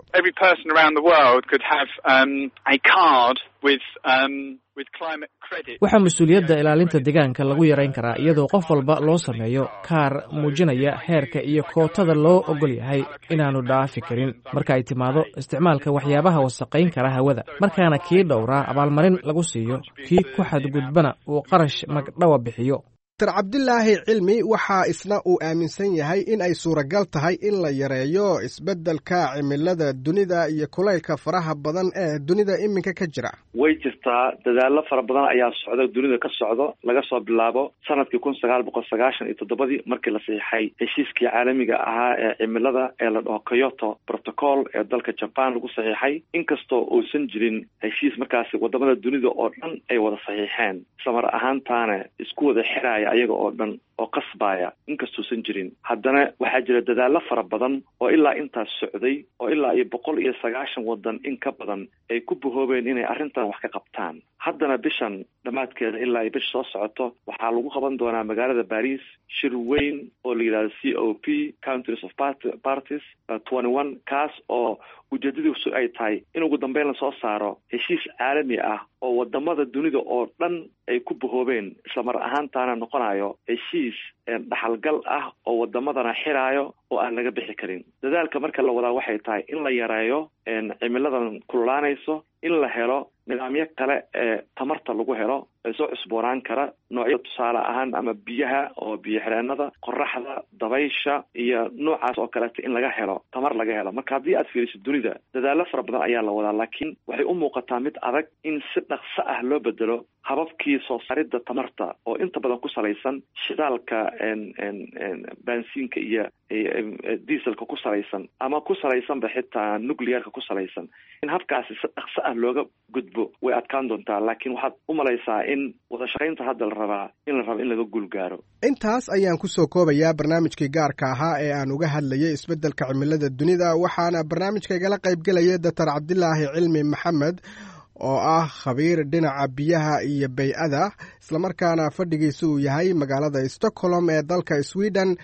Waxaa mas-uuliyadda ilaalinta deegaanka lagu yarayn karaa iyadoo qof walba loo sameeyo kaar muujinaya heerka iyo kootada loo ogol yahay inaannu dhaafi karin marka ay timaado isticmaalka waxyaabaha wasaqayn kara hawada, markaana kii dhowraa abaalmarin lagu siiyo, kii ku xadgudbana uu qarash magdhawa bixiyo. Dr Cabdilaahi Cilmi waxaa isna uu aaminsan yahay in ay suuragal tahay in la yareeyo isbeddelka cimilada dunida iyo kulaylka faraha badan ee dunida iminka ka jira. Way jirtaa, dadaallo fara badan ayaa socda, dunida ka socdo, laga soo bilaabo sanadkii 1997-dii markii la saxiixay heshiiskii caalamiga ahaa ee cimilada ee la dhaho Kyoto Protocol ee dalka Jaban lagu saxiixay. Inkastoo uusan jirin heshiis markaasi wadamada dunida oo dhan ay wada saxiixeen, islamar ahaantaana isku wada xiraya ayaga oo dhan oo qasbaya, inkastuusan jirin, haddana waxaa jira dadaallo fara badan oo ilaa intaas socday, oo ilaa iyo 190 waddan in ka badan ay ku bahoobeen inay arrintan wax ka qabtaan. Haddana bishan dhammaadkeeda ilaa iyo bisha soo socoto waxaa lagu qaban doonaa magaalada Paris shir weyn oo la yidhahdo COP, Countries of Parties 21, kaas oo ujeedadiisu ay tahay in ugu dambeyn lasoo saaro heshiis caalami ah oo wadamada dunida oo dhan ay ku bahoobeen, islamar ahaantaana noqonayo heshiis dhaxalgal ah oo wadamadana xiraayo oo aan laga bixi karin. Dadaalka marka la wadaa waxay tahay in la yareeyo cimiladan kululaanayso, in la helo nidaamyo kale ee tamarta lagu helo ee soo cusboonaan kara, noocyo tusaale ahaan ama biyaha oo biyo xireenada, qoraxda, dabaysha iyo noocaas oo kaleeta in laga helo tamar laga helo. Marka haddii aad fiiriso dunida, dadaallo fara badan ayaa la wadaa, laakiin waxay u muuqataa mid adag in si dhaqso ah loo bedelo hababkii soo saaridda tamarta oo inta badan ku salaysan shidaalka baansiinka iyo dieselka ku salaysan, ama ku salaysanba xitaa nuclearka ku salaysan. In habkaasi si dhaqso ah looga gudbo way adkaan doontaa, laakiin waxaad u malaysaa in wada shaqaynta hadda la rabaa in la rabo in laga guul gaaro. Intaas ayaan ku soo koobayaa barnaamijkii gaarka ahaa ee aan uga hadlayay isbeddelka cimilada dunida, waxaana barnaamijkaygala qaybgelaya Doctor Cabdilaahi Cilmi Maxamed oo ah khabiir dhinaca biyaha iyo bay-ada, islamarkaana fadhigiisu uu yahay magaalada Stockholm ee dalka Sweden,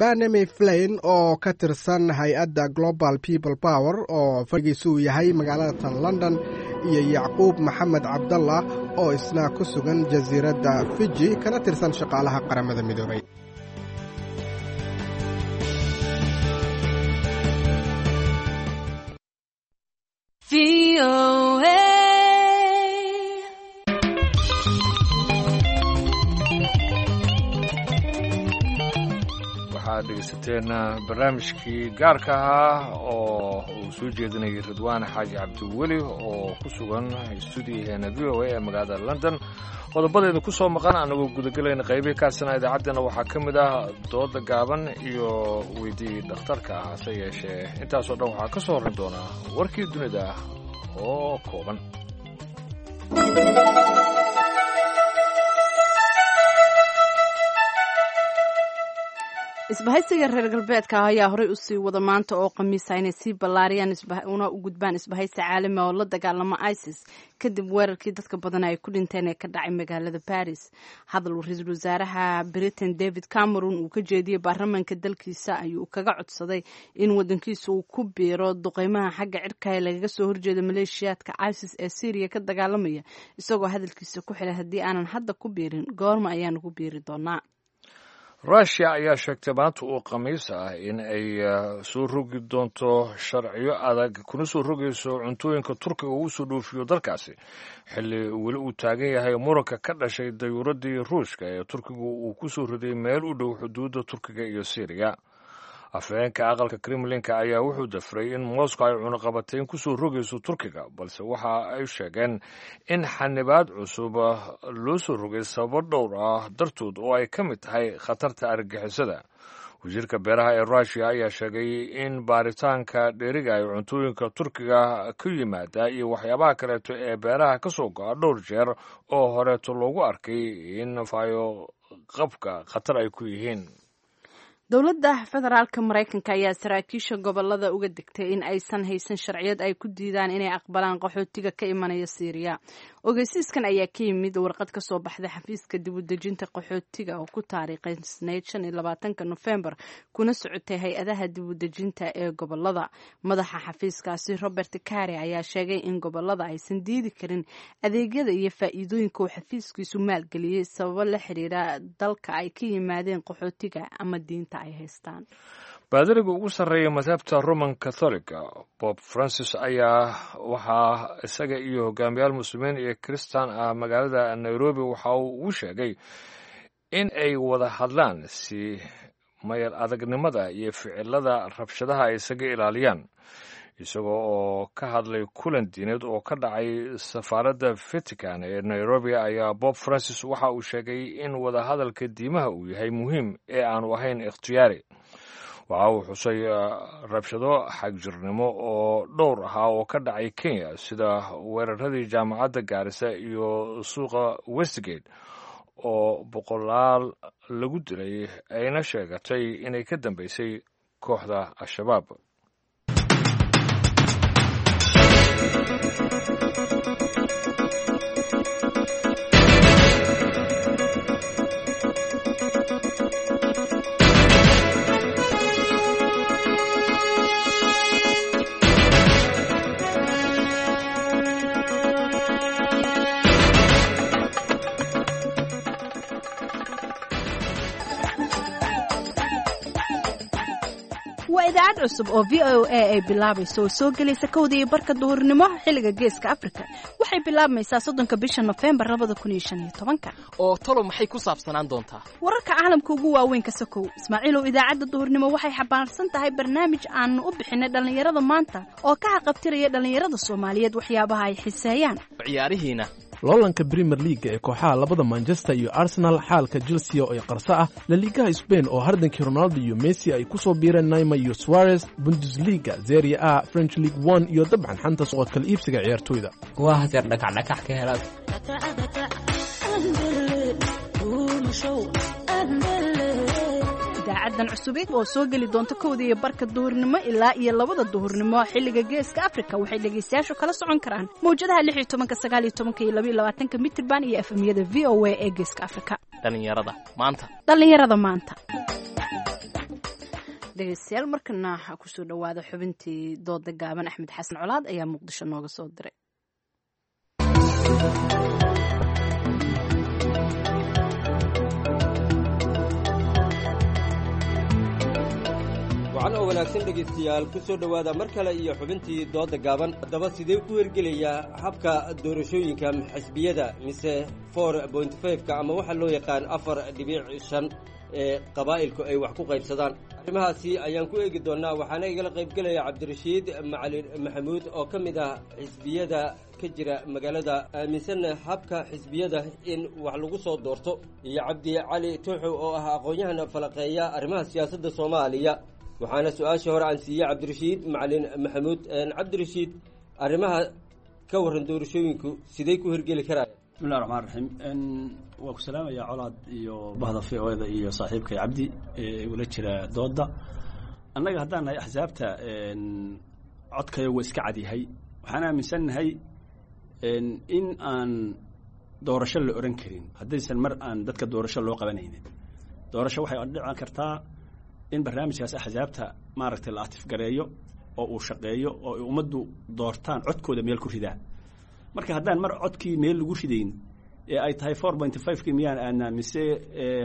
Banami Flain oo ka tirsan hay-adda Global People Power oo fadhigiisu uu yahay magaalada tan London, iyo Yacquub Maxamed Cabdallah oo isna ku sugan jasiiradda Fiji kana tirsan shaqaalaha Qaramada Midoobay. Waxaad dhegaysateen barnaamijkii gaarka ahaa oo uu soo jeedinayay Ridwaan Xaaji Cabdiweli oo ku sugan stuudiyaheena v o a ee magaalada London. Qodobadeeda ku soo maqan anagoo gudagelayna qaybihii kaasina idaacaddeenna waxaa ka mid ah dooda gaaban iyo weydii dhakhtarka ah, hase yeeshee intaasoo dhan waxaa ka soo horran doonaa warkii dunida oo kooban. Isbahaysiga reer galbeedka ah ayaa horey usii wada maanta oo khamiisa inay sii ballaariyaan una u gudbaan isbahaysi caalami oo la dagaalama ISIS kadib weerarkii dadka badan ay ku dhinteen ee ka dhacay magaalada Baris. Hadal uu ra-iisul wasaaraha Britain David Cameron uu ka jeediyey baarlamaanka dalkiisa ayuu kaga codsaday in wadankiisa uu ku biiro duqeymaha xagga cirka ee lagaga soo horjeeda maleeshiyaadka ISIS ee Syria ka dagaalamaya, isagoo hadalkiisa ku xilay haddii aanan hadda ku biirin goorma ayaan ugu biiri doonaa. Rushia ayaa sheegtay maanta uu khamiis ah in ay soo rogi doonto sharciyo adag kuna soo rogayso cuntooyinka Turkiga uu soo dhoofiyo dalkaasi, xilli weli uu taagan yahay muranka ka dhashay dayuuraddii Ruushka ee Turkigu uu ku soo riday meel u dhow xuduudda Turkiga iyo Syriya. Afhayeenka aqalka Kremlinka ayaa wuxuu dafray in Moscow ay cunaqabateyn ku soo rogayso Turkiga, balse waxa ay sheegeen in xanibaad cusub loo soo rogay sababo dhowr ah dartood oo ay ka mid tahay khatarta argagixisada. Wasiirka beeraha ee Rushia ayaa sheegay in baaritaanka dheeriga ay cuntooyinka Turkiga ka yimaada iyo waxyaabaha kaleeto ee beeraha ka soo go'a dhowr jeer oo horeeto loogu arkay in faayo qabka khatar ay ku yihiin. Dowladda federaalka Maraykanka ayaa saraakiisha gobolada uga degtay in aysan haysan sharciyad ay ku diidaan inay aqbalaan qaxootiga ka imanaya Siiriya. Ogeysiiskan ayaa ka yimid warqad ka soo baxday xafiiska dib u dejinta qaxootiga oo ku taariikhaysnayd 25-ka Nofembar kuna socotay hay-adaha dib u dejinta ee gobolada. Madaxa xafiiskaasi Robert Kare ayaa sheegay in gobolada aysan diidi karin adeegyada iyo faa'iidooyinka uu xafiiskiisu maalgeliyey sababo la xiriira dalka ay ka yimaadeen qaxootiga ama diinta ay haystaan. Baadariga ugu sarreeya madhabta Roman Catholica Bob Francis ayaa waxaa isaga iyo hogaamiyaal muslimiin iyo kristan ah magaalada Nairobi waxa uu ugu sheegay in ay wada hadlaan si mayar adagnimada iyo ficilada rabshadaha ay isaga ilaaliyaan, isagoo oo ka hadlay kulan diineed oo ka dhacay safaaradda Vatican ee Nairobi. Ayaa Bob Francis waxa uu sheegay in wadahadalka diimaha uu yahay muhiim ee aanu ahayn ikhtiyaari. Waxa uu xusay rabshado xagjirnimo oo dhowr ahaa oo ka dhacay Kenya, sida weeraradii jaamacadda Gaarisa iyo suuqa Westgate oo boqolaal lagu dilay, ayna sheegatay inay ka dambeysay kooxda Al-Shabaab. Waa idaacad cusub oo v o a ay bilaabayso oo soo gelaysa 1:30 duhurnimo xilliga Geeska Afrika. Waxay bilaabmaysaa 30-ka bisha Nofembar 2015-ka. Oo talo maxay ku saabsanaan doontaa? Wararka caalamka ugu waaweyn ka sokow, Ismaaciilow, idaacadda duhurnimo waxay xambaarsan tahay barnaamij aanu u bixinay dhallinyarada maanta oo ka haqabtiraya dhallinyarada Soomaaliyeed waxyaabaha ay xiseeyaan. Ciyaarihiina Loolanka Premier Leaga ee kooxaha labada Manchester iyo Arsenal, xaalka Chelsea oo ay qarso ah, Laligaha Spain oo hardankii Ronaldo iyo Messi ay ku soo biireen Neymar iyo Suarez, Bundesliga, Serie A, French League One iyo dabcan xanta suuqa kala iibsiga ciyaartoyda. Waa hadeer dhakacdhakax ka helaad. Idaacaddan cusubid oo soo geli doonta 1:30 duhurnimo ilaa iyo 2-da duhurnimo xilliga Geeska Afrika waxay dhegaystayaashu kala socon karaan mawjadaha 16-ka, 19-ka iyo 22-ka mitirban iyo efemyada v o a ee Geeska Afrika. Dhallinyarada maanta. Dhallinyarada maanta. Dhegaystayaal, markana waxaa kusoo dhowaada xubintii dooda gaaban. Axmed Xasan Colaad ayaa Muqdisho nooga soo diray. Wacan oo wanaagsan dhegaystayaal, ku soo dhowaada mar kale iyo xubintii dooda gaaban. Haddaba sidee ku hirgelayaa habka doorashooyinka xisbiyada mise 4.5-ka ama waxaa loo yaqaan 4.5? ee qabaa'ilku ay wax ku qaybsadaan. Arrimahaasi ayaan ku eegi doonnaa, waxaana igala qaybgelaya Cabdirashiid Macalin Maxamuud oo ka mid ah xisbiyada ka jira magaalada, aaminsanna habka xisbiyada in wax lagu soo doorto, iyo Cabdi Cali Tuuxow oo ah aqoon-yahan falaqeeya arrimaha siyaasadda Soomaaliya. Waxaana su-aasha hore aan siiyey Cabdirashiid Macalin Maxamuud. Cabdirashiid, arrimaha ka warran doorashooyinku sidey ku hirgeli karaya? Bismillahi raxmaan raxiim. Waa ku salaamayaa Colaad iyo bahda v o da iyo saaxiibkay Cabdi ee igula jira dooda. Annaga haddaan nahay axsaabta, codkayo waa iska cadyahay. Waxaan aaminsannahay in aan doorasho la oran karin haddaysan mar aan dadka doorasho loo qabanaynin. Doorasho waxay dhici kartaa in barnaamijkaas axsaabta maaragtay la atifgareeyo oo uu shaqeeyo oo ay ummaddu doortaan, codkooda meel ku ridaan. Marka haddaan mar codkii meel lagu ridayn ee ay tahay 4.5-kii miyaan aadnaa mise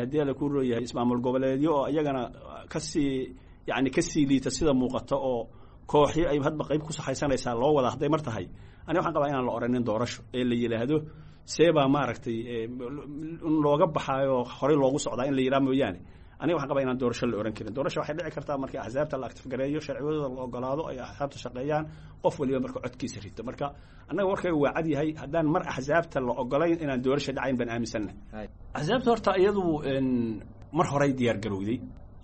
haddii ala ku rooyahay ismaamul goboleedyo oo iyagana kasii yacni kasii liita sida muuqata oo kooxyo ay hadba qayb ku saxaysanaysaa loo wadaa, hadday mar tahay, ani waxaan qabaa inaan la oranin doorasho ee la yidhaahdo seebaa maaragtay in looga baxaayo horey loogu socdaa in la yidhaha mooyaane. Aniga waxaan qabaa inaan doorasho la oran karin. Doorasho waxay dhici kartaa markii axsaabta la actifgareeyo, sharciyadooda la ogolaado, ay axsaabta shaqeeyaan, qof waliba marka codkiisa rito. Marka annaga warkayga waa cad yahay, haddaan mar axsaabta la ogolayn inaan doorasho dhacayn baan aaminsannahay. Axsaabta horta iyadu mar horay diyaar garowday,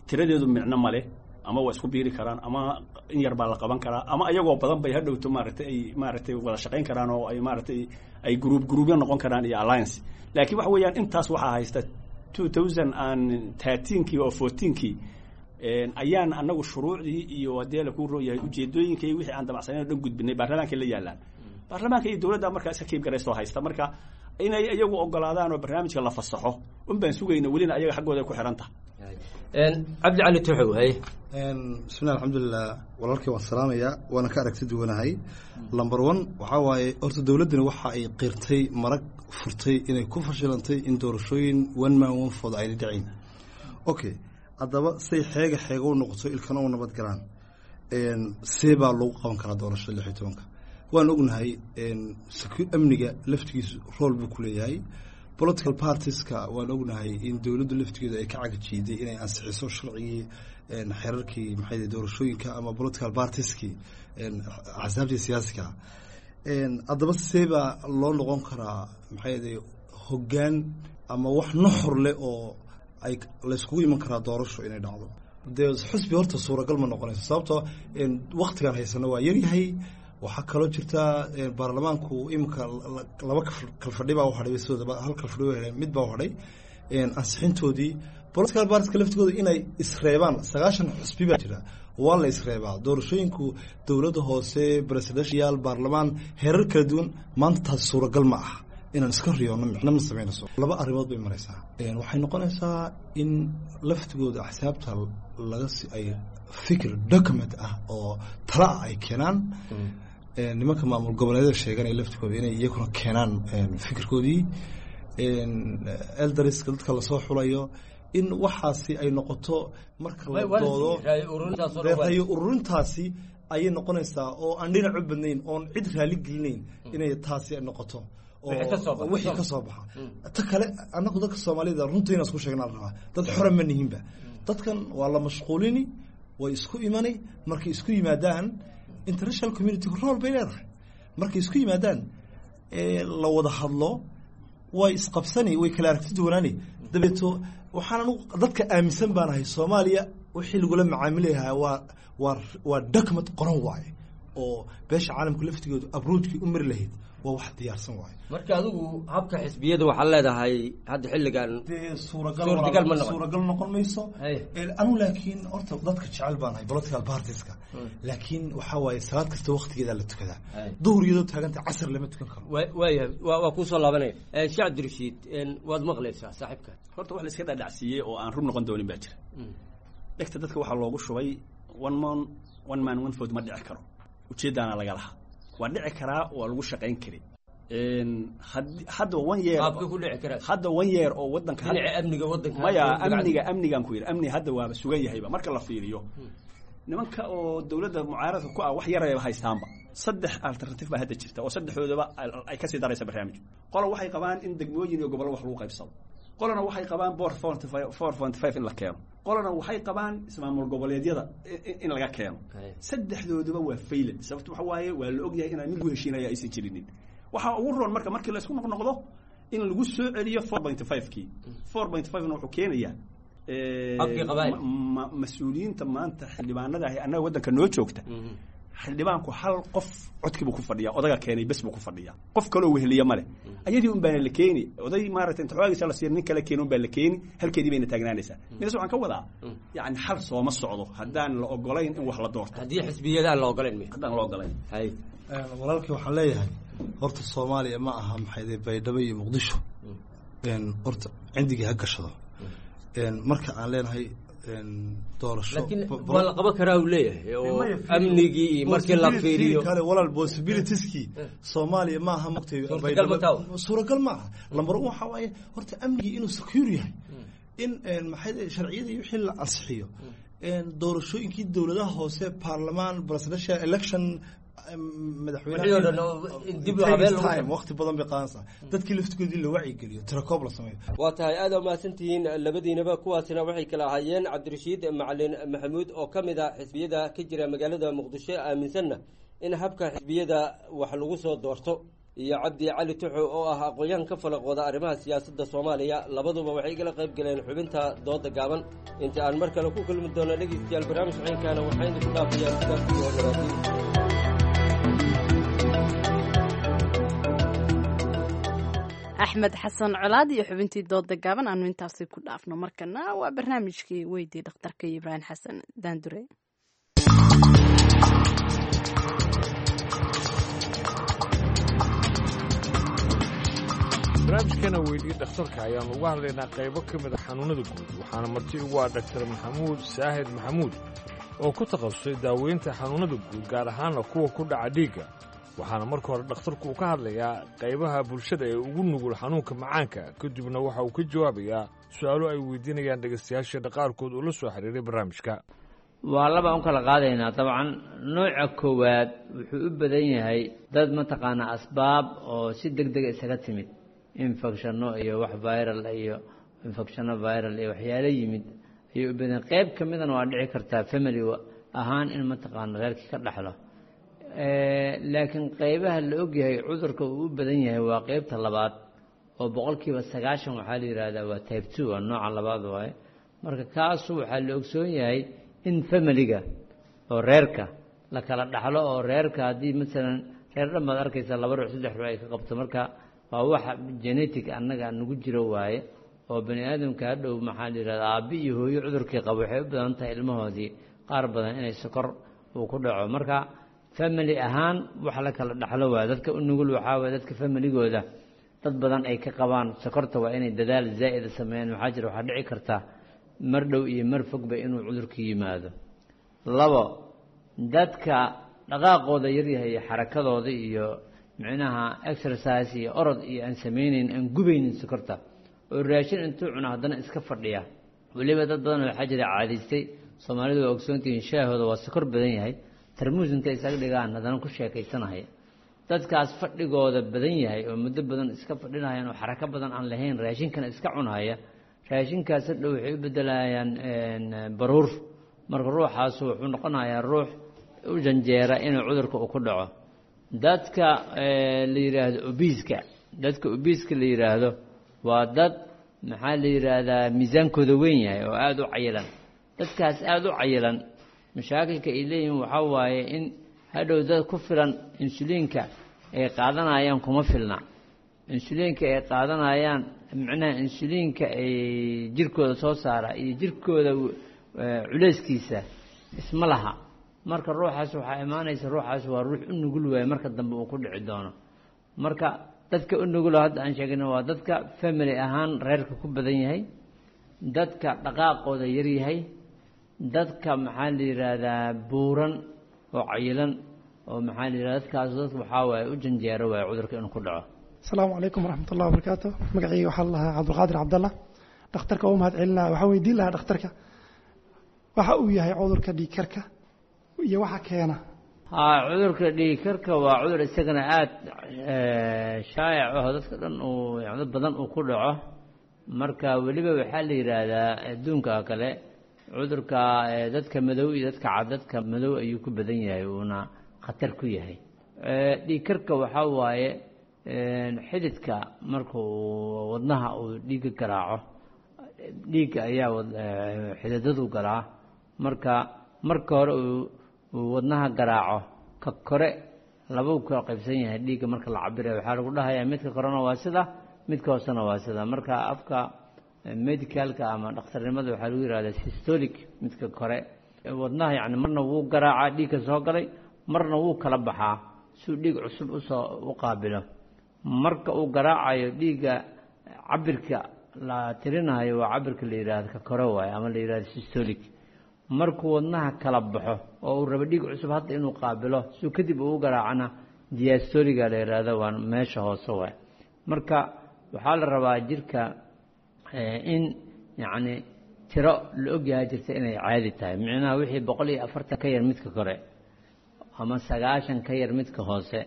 tiradeedu micno ma leh, ama waa isku biiri karaan ama in yar baa la qaban karaa ama ayagoo badan bay hadhowto maaragtay ay maaragtay wada shaqayn karaan oo ay maaragtay ay gruub gruubyo noqon karaan iyo alliance. Laakiin waxa weeyaan intaas waxaa haysta 2013-kii oo 14-kii ayaan annagu shuruucdii iyo haddii la ku rooyahay ujeedooyinkii wixii aan damacsanayn oo dhan gudbinay, baarlamaanka la yaalaan, baarlamaanka iyo dowladda markaa iska kiib garaystoo haysta. Marka inay iyagu ogolaadaan oo barnaamijka la fasaxo un baan sugayna, welina ayaga xaggooda ay ku xihan tahay. Cabdi Cali Tuxow, haye. Bismillahi, alxamdulilah. Walaalkii waan salaamayaa, waana ka aragti duwanahay. Number one waxaa waaye horta dowladdani waxa ay qirtay, marag furtay inay ku fashilantay in doorashooyin one man one vote ayna dhicin. Okay, haddaba say xeega xeega u noqoto, ilkana u nabad galaan, see baa lagu qaban karaa doorashada 16-ka? Waan ognahay amniga laftigiisu rool buu ku leeyahay political partieska. Waan ognahay in dowladdu laftigeedu ay ka cagajiiday inay ansixiso sharcigii, xeerarkii maxay doorashooyinka ama political partieskii, axsaabtii siyaasiga. Haddaba see baa loo noqon karaa maxay hoggaan ama wax nuxur leh oo ay layskugu iman karaa doorasho inay dhacdo? Dee xusbi horta suuragal ma noqonayso, sababtoo waktigan haysano waa yaryahay. Waxaa kaloo jirta baarlamaanku iminka laba kalfadhi baa uhadhay, sidooda hal kalfadhi wa heleen, mid baa uhadhay ansixintoodii. Political partieska laftigooda inay isreebaan, 90 xusbi baa jira, waa la isreebaa. Doorashooyinku dowladda hoose, presidential, baarlamaan, heerar kala duwan, maanta taas suuragal ma aha. Inaan iska riyoono micno ma samaynayso. Laba arrimood bay maraysaa. Waxay noqonaysaa in laftigooda axsaabta laga si ay fikir document ah oo tala ah ay keenaan, nimanka maamul goboleedyada sheeganaya laftigooda inay iyaguna keenaan fikirkoodii, elderska dadka lasoo xulayo, in waxaasi ay noqoto marka la doodo rayo ururintaasi ayay noqonaysaa oo aan dhinac u badnayn oon cid raali gelinayn inay taasi noqoto wixii ka soo baxa. Ta kale, annagu dadka Soomaalida runta inaan isku sheegnaa la rabaa, dad xora ma nihinba. Dadkan waa la mashquulini, way isku imani. Markay isku yimaadaan, international community role bay leedahay. Markay isku yimaadaan ee la wada hadlo, way isqabsani, way kala aragti duwanaani. Dabeeto waxaan anugu dadka aaminsan baan ahay Soomaaliya wixii lagula macaamilayahaa waa document qoran waaye oo beesha caalamka laftigoodu abroadkii u mari lahayd, waa wax diyaarsan waaye. Marka adigu habka xisbiyada waxaad leedahay hadda xilligan suuragal ma suuragal noqon mayso anu. Laakiin horta dadka jecel baan ahay political partieska, laakiin waxaa waaye salaad kasta waqtigeeda la tukadaa. Duhur iyadoo taaganta casar lama tukan karo. Waayahay, waa kuusoo laabanaya. Sheekh Cabdirashiid, waad maqlaysaa saaxiibka. Horta wax la iska dhadhacsiiyey oo aan run noqon doonin baa jira. Dhegta dadka waxaa loogu shubay one man one man one vote ma dhici karo, ujeeddaana laga lahaa. Waa dhici karaa, waa lagu shaqayn kari. Hadda one year, hadda one year oo wadanka amniga wadanka maya, amniga amnigan ku yidhi, amni hadda waaba sugan yahayba. Marka la fiiriyo nimanka oo dowladda mucaaradka ku ah, wax yarayba haystaanba. Saddex alternative baa hadda jirta oo saddexdoodaba ay kasii daraysa barnaamij. Qola waxay qabaan in degmooyin iyo gobollo wax lagu qaybsado. Qolana waxay qabaan 4.5 in la keeno, qolana waxay qabaan ismaamul goboleedyada in laga keeno. Saddexdooduba waa failed. Sababto waxa waaye, waa la ogyahay inaan mid lagu heshiinaya aysan jirinin. Waxaa ugu roon marka markii la isku noqnoqdo in lagu soo celiyo 4.5 kii. 4.5 na wuxuu keenayaa mas-uuliyiinta maanta xildhibaanada ahi annaga waddanka noo joogta. Xildhibaanku hal qof codkiibuu ku fadhiyaa, odaga keenay bes buu ku fadhiyaa, qof kaloo weheliya male. Ayadii un baana la keeni, oday maaragtay inta xoogiisa la siiyo nin kale keeni un baa la keeni, halkeedii bayna taagnaanaysaa. Midas waxaan ka wadaa, yacni, xal sooma socdo haddaan la ogolayn in wax la doorto. Haddii xisbiyada aan la ogolayn. Haddaan la ogolayn. Walaalkii waxaan leeyahay, horta Soomaaliya ma aha maxayde Baydhabo iyo Muqdisho. Horta cindigii ha gashado marka aan leenahay doorasho. Laakiin waa la qaban karaa uu leeyahay, oo amnigii iyo markii la fiiriyo. Kale walaal, possibilitieskii Soomaaliya ma aha mugtay, suuragal ma aha. Number one waxa waaye horta amnigii inuu secure yahay, in maxay sharciyadii wixii la ansixiyo, doorashooyinkii dowladaha hoose, baarlamaan, presidential election, madaxweyne, waqti badan bay qaadanaysaa, dadkii laftigoodii la wacyigeliyo, tirakoob la sameeyo. Waa tahay, aada umahadsantihiin labadiinaba. Kuwaasina waxay kala ahaayeen Cabdirashiid Macalin Maxamuud oo ka mid ah xisbiyada ka jira magaalada Muqdisho, aaminsanna in habka xisbiyada wax lagu soo doorto, iyo Cabdi Cali Tuxo oo ah aqoon-yahan ka falaqooda arrimaha siyaasadda Soomaaliya. Labaduba waxay igala qayb galeen xubinta dooda gaaban. Inta aan mar kale ku kulmi doono, dhegeystayaal, barnaamij ciinkaana waxaan idinku dhaafayaa sidaas iyo nabadiin. Axmed Xasan Colaad iyo xubintii dooda gaaban aanu intaasi ku dhaafno. Markana waa barnaamijkii weydii dhakhtarka Ibraahim Xasan Daandure. Barnaamijkana weydii dhakhtarka ayaanu uga hadlaynaa qaybo ka mid a xanuunada guud, waxaana marti ugu ah Dhaktar Maxamuud Saahid Maxamuud oo ku takhasusay daaweynta xanuunada guud, gaar ahaana kuwa ku dhaca dhiigga. Waxaana marka hore dhakhtarku uu ka hadlayaa qaybaha bulshada ee ugu nugul xanuunka macaanka, kadibna waxa uu ka jawaabayaa su'aalo ay weydiinayaan dhegaystayaasheena qaarkood oo la soo xiriiray barnaamijka. Waa laba un kala qaadaynaa dabcan. Nooca koowaad wuxuu u badan yahay dad mataqaanaa asbaab oo si deg dega isaga timid, infectionno iyo wax viral iyo infectionno viral iyo waxyaalo yimid ayuu u badan. Qayb ka midana waa dhici kartaa family ahaan in mataqaana reerkii ka dhaxlo, laakiin qaybaha la ogyahay cudurka uu u badan yahay waa qeybta labaad, oo 90% waxaa la yidhaahdaa waa type 2, waa nooca labaad waaye. Marka kaasu waxaa la ogsoon yahay in familiga oo reerka la kala dhaxlo, oo reerka haddii masalan reer dhan baad arkaysaa laba ruux, saddex ruux ay ka qabto. Marka waa waxa genetic annaga nagu jiro waaye, oo bani aadamka hadhow maxaa la yidhahdaa aabbi iyo hooyo cudurkii qabo waxay u badan tahay ilmahoodii qaar badan inay sokor uu ku dhaco. Marka family ahaan wax la kala dhaxlo waaye. Dadka u nugul waxaa waye dadka familigooda dad badan ay ka qabaan sokorta, waa inay dadaal zaa'ida sameeyaan. Maxaa jira, waxaa dhici karta mar dhow iyo mar fogba inuu cudurku yimaado. Labo, dadka dhaqaaqooda yaryahay iyo xarakadooda iyo micnaha exercise iyo orod iyo aan samaynayn, aan gubaynin sokorta, oo raashin intuu cuno haddana iska fadhiya. Weliba dad badan waxaa jira caadaystay, Soomaalidu waa ogsoontihiin, shaahooda waa sokor badan yahay, tarmuus intay isaga dhigaan haddana ku sheekaysanaya. Dadkaas fadhigooda badan yahay oo muddo badan iska fadhinayaan oo xarako badan aan lahayn, raashinkana iska cunhaya, raashinkaas hadhow waxay u bedelayaan baruur. Marka ruuxaasu wuxuu noqonayaa ruux u janjeera inuu cudurka uu ku dhaco. Dadka la yidhaahdo obiiska, dadka obiiska la yidhaahdo waa dad maxaa la yidhaahdaa miisaankooda weyn yahay oo aada u cayilan. Dadkaas aada u cayilan mashaakilka ay leeyihiin waxaa waaye in hadhow dad ku filan insuliinka ay qaadanayaan kuma filna. Insuliinka ay qaadanayaan, micnaha insuliinka ay jirkooda soo saara iyo jirkooda culeyskiisa isma laha. Marka ruuxaas waxaa imaanaysa, ruuxaas waa ruux u nugul waaye marka dambe uu ku dhici doono. Marka dadka u nugulo hadda aan sheegayna waa dadka family ahaan reerka ku badan yahay, dadka dhaqaaqooda yaryahay, dadka maxaa la yidhaahdaa buuran oo cayilan, oo maxaa la yidhahda dadkaas dadka waxaa waaye u janjeero waaye cudurka inuu ku dhaco. Asalaamu calaykum waraxmat ullahi wabarakaatu. Magacayga waxaa la lahaa Cabdulqaadir Cabdallah. Dhakhtarka waa u mahad celinaya. Waxaan weydiin lahaa dhakhtarka waxa uu yahay cudurka dhiigkarka iyo waxa keena. Haa, cudurka dhiigkarka waa cudur isagana aada shaayac aho, dadka dhan uu dad badan uu ku dhaco. Marka weliba waxaa la yidhaahdaa adduunka kale cudurka dadka madow iyo dadka cad, dadka madow ayuu ku badan yahay, uuna khatar ku yahay. Dhiigkarka waxaa waaye xididka marka uu wadnaha uu dhiigga garaaco, dhiigga ayaa xididadu galaa. Marka marka hore uu wadnaha garaaco, ka kore labuu kala qaybsan yahay dhiigga marka la cabirayo. Waxaa lagu dhahayaa midka korena waa sida, midka hoosena waa sida. Marka afka medicalka ama dhakhtarnimada waxaa lagu yihahdaa systolic, midka kore wadnaha, yacni marna wuu garaacaa dhiigga soo galay, marna wuu kala baxaa suu dhiig cusub usoo u qaabilo. Marka uu garaacayo dhiigga, cabirka la tirinayo waa cabirka la yidhaahdo ka kore waaye, ama la yidhahdo systolic. Markuu wadnaha kala baxo oo uu rabo dhiig cusub hadda inuu qaabilo suu kadib uu u garaacana, diastoliga la yidhaahdo, waa meesha hoose waay. Marka waxaa la rabaa jirka in yacni tiro la ogyahay jirta inay caadi tahay, micnaha wixii 140 ka yar midka kore ama 90 ka yar midka hoose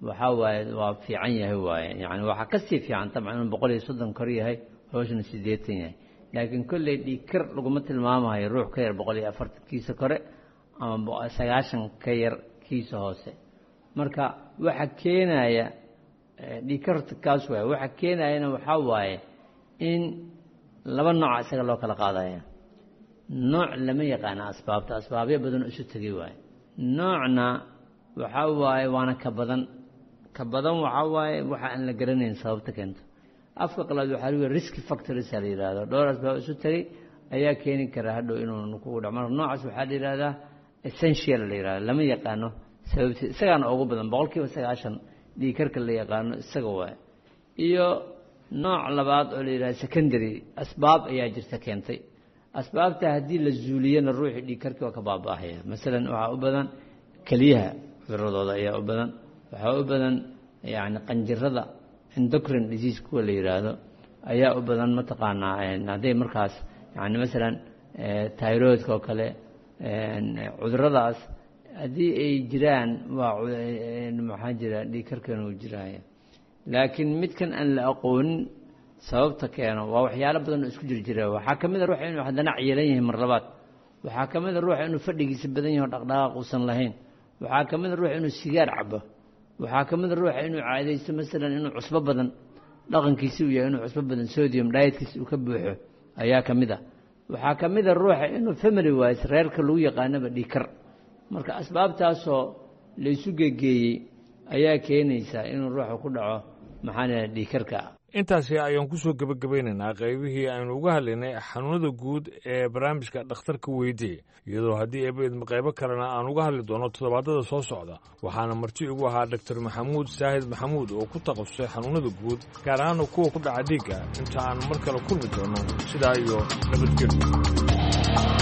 waxaa waaye waa fiican yahay waaye. Yani waxaa kasii fiican dabcan inuu 130 kor yahay, hoosna 80 yahay, laakiin kolley dhiigkar laguma tilmaamayo ruux ka yar 140 kiisa kore ama 90 ka yar kiisa hoose. Marka waxa keenaya dhiigkar kaas waaye. Waxa keenayana waxaa waaye in laba nooca isaga loo kala qaadaya. Nooc lama yaqaana asbaabta, asbaabyo badan oo isu tegay waaye. Noocna waxaa waaye waana ka badan, ka badan waxaa waaye waxa aan la garanayn sababta keento. Afka qalaad waxaa lagu risk factors la yidhaahdo, dhowr asbaab isu tegay ayaa keeni kara hadhow inuu kugu dhaco. Marka noocaas waxaa la yidhahdaa essential la yidhahdo, lama yaqaano sababti, isagaana ugu badan, 90% dhiigkarka la yaqaano isaga waaye. Iyo nooc labaad oo la yidhahdo secondary, asbaab ayaa jirta keentay. Asbaabta haddii la zuuliyana ruuxii dhiigkarkii waa ka baaba'ahaya. Masalan waxaa u badan keliyaha cuduradooda ayaa u badan, waxaa u badan yacni qanjirada endocrine disease kuwa la yidhaahdo ayaa u badan, mataqaanaa hadday markaas yacni masalan thyroidka oo kale, cuduradaas haddii ay jiraan waa maxaa jira dhiigkarkan uu jiraya. Laakiin midkan aan la aqoonin sababta keeno waa waxyaalo badan oo isku jirjira. Waxaa ka mid a ruuxa inuu haddana cayilan yahay mar labaad, waxaa ka mid a ruuxa inuu fadhigiisa badan yahay oo dhaqdhaqaaq uusan lahayn, waxaa ka mid a ruuxa inuu sigaar cabo, waxaa ka mid a ruuxa inuu caadaysto masalan inuu cusbo badan dhaqankiisi uu yahay, inuu cusbo badan sodium dietkiisa uu ka buuxo ayaa ka mid a. Waxaa ka mid a ruuxa inuu family wise reerka lagu yaqaanaba dhiigkar. Marka asbaabtaasoo la isu gegeeyey ayaa keenaysa inuu ruuxa ku dhaco maxaa la dhiigkarka. Intaasi ayaan ku soo gebagabaynaynaa qaybihii aynu uga hadlaynay xanuunada guud ee barnaamijka dhakhtarka weydii, iyadoo haddii eeba qaybo kalena aan uga hadli doono toddobaadada soo socda. Waxaana marti igu ahaa Doktor Maxamuud Saahid Maxamuud oo ku takhasusay xanuunada guud, gaar ahaan kuwa ku dhaca dhiigga. Inta aan mar kale kulmi doono, sidaa iyo nabadgelyo.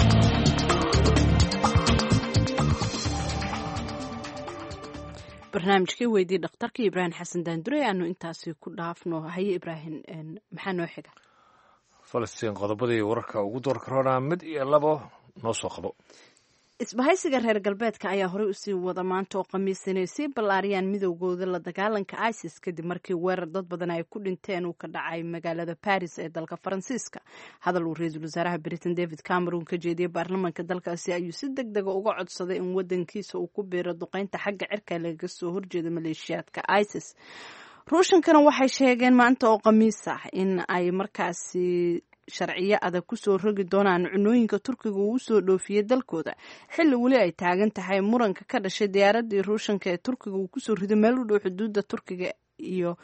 Barnaamijkii weydii dhakhtarka Ibraahim Xasan Daandure aanu intaasi ku dhaafno. Haye Ibraahim, maxaa noo xiga? Falastiin, qodobadii wararka ugu doorka roonaa mid iyo labo noo soo qabo. Isbahaysiga reer galbeedka ayaa horey usii wada maanta oo khamiis inay sii ballaariyaan midowgooda la dagaalanka ISIS, kadib markii weerar dad badan ay ku dhinteen uu ka dhacay magaalada Paris ee dalka Faransiiska. Hadal uu ra-iisul wasaaraha Britain David Cameron ka jeediyey baarlamaanka dalkaasi ayuu si deg dega uga codsaday in wadankiisa uu ku biiro duqeynta xagga cirka lagaga soo horjeeda maleeshiyaadka ISIS. Ruushankana waxay sheegeen maanta oo khamiis ah in ay markaasi sharciyo adag kusoo rogi doonaan cunooyinka Turkiga uu usoo dhoofiyey dalkooda, xilli weli ay taagan tahay muranka ka dhashay diyaaradii Ruushanka ee Turkiga uu kusoo rido meel u dhow xuduudda Turkiga iyo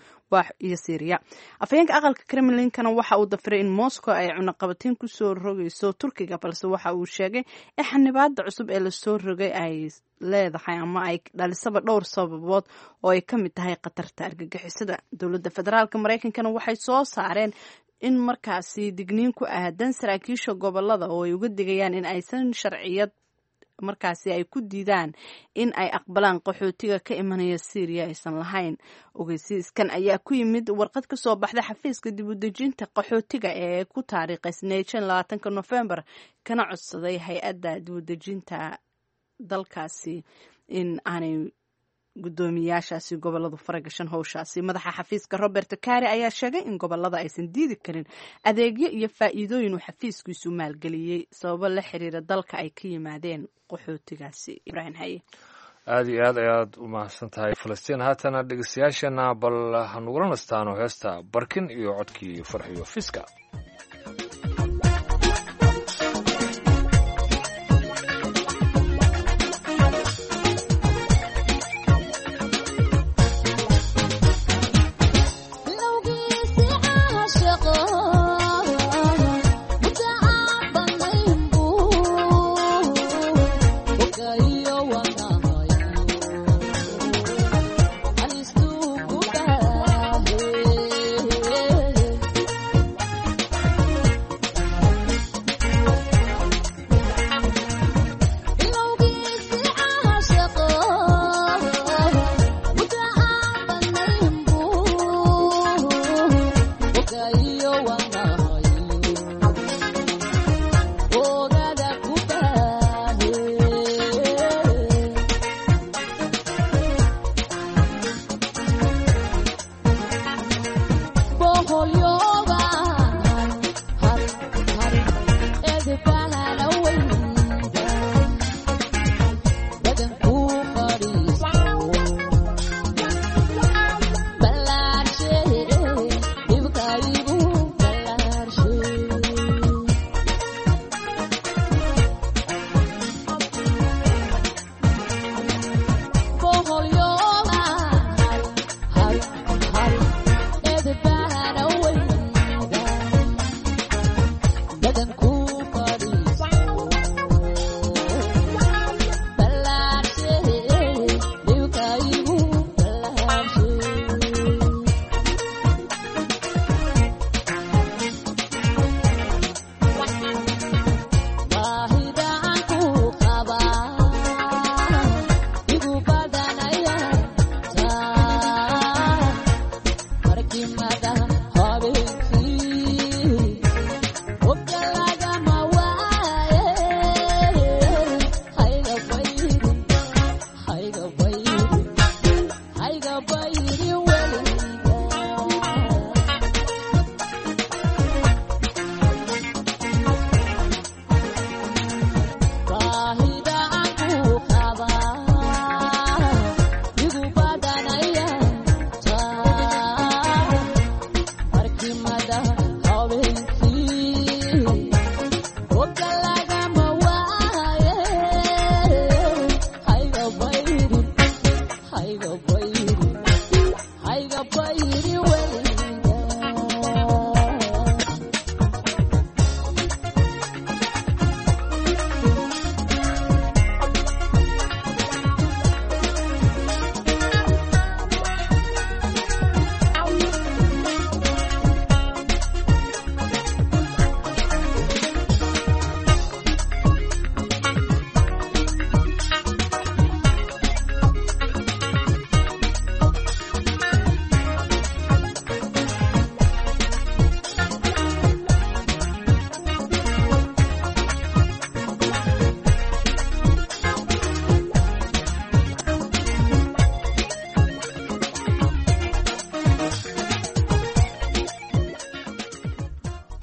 Syriya. Afhayeenka aqalka Kremlinkana waxa uu dafiray in Moscow ay cunaqabateyn kusoo rogayso Turkiga, balse waxa uu sheegay in xanibaada cusub ee lasoo rogay ay leedahay ama ay dhalisaba dhowr sababood oo ay ka mid tahay khatarta argagixisada. Dowladda federaalka Mareykankana waxay soo saareen in markaasi digniin ku aadan saraakiisha gobolada oo ay uga digayaan in aysan sharciyad markaasi ay ku diidaan in ay aqbalaan qaxootiga ka imanaya Syriya aysan lahayn. Ogeysiiskan ayaa ku yimid warqad ka soo baxda xafiiska dib u dejinta qaxootiga ee ku taariikhaysneyd 25-ka Nofembar, kana codsaday hay-adda dib u dejinta dalkaasi in aanay Guddoomiyaashaasi goboladu faragashan howshaasi. Madaxa xafiiska Robert Kari ayaa sheegay in gobolada aysan diidi karin adeegyo iyo faa'iidooyin uu xafiiskiisu maalgeliyey sababo la xiriira dalka ay ka yimaadeen qaxootigaasi. Ibraahim Haye. Aada iyo aad ayaad u mahadsan tahay Falastiin. Haatana dhegeystayaashana bal hanugula nastaano heesta Barkin iyo codkii Farxiyo Fiska.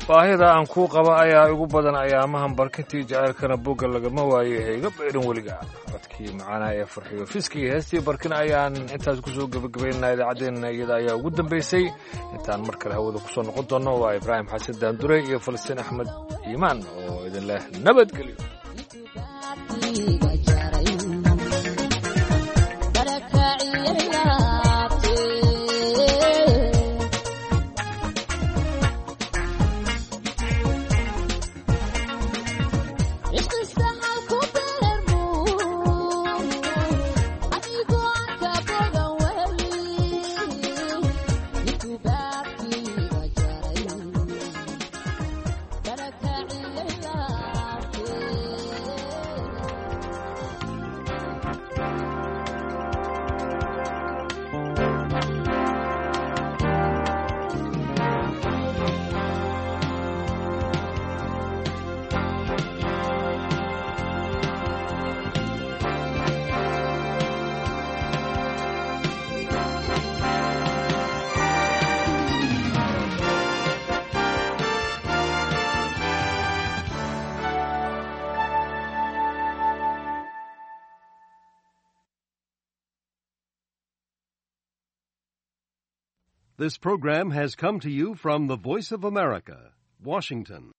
Baahida aan kuu qaba ayaa igu badan ayaamahan, barkintii jaceylkana bogga lagama waaye, hayga bayrin weliga. Codkii macaanaa ee Farxiyo Fiski iyo heestii Barkin ayaan intaas kusoo gebagabaynaa idaacaddeenna, iyada ayaa ugu dambaysay. Intaan mar kale hawada kusoo noqon doonno, waa Ibraahim Xasan Daandurey iyo Falastiin Axmed Iimaan oo idin leh nabadgelyo. This program has come to you from the Voice of America, Washington.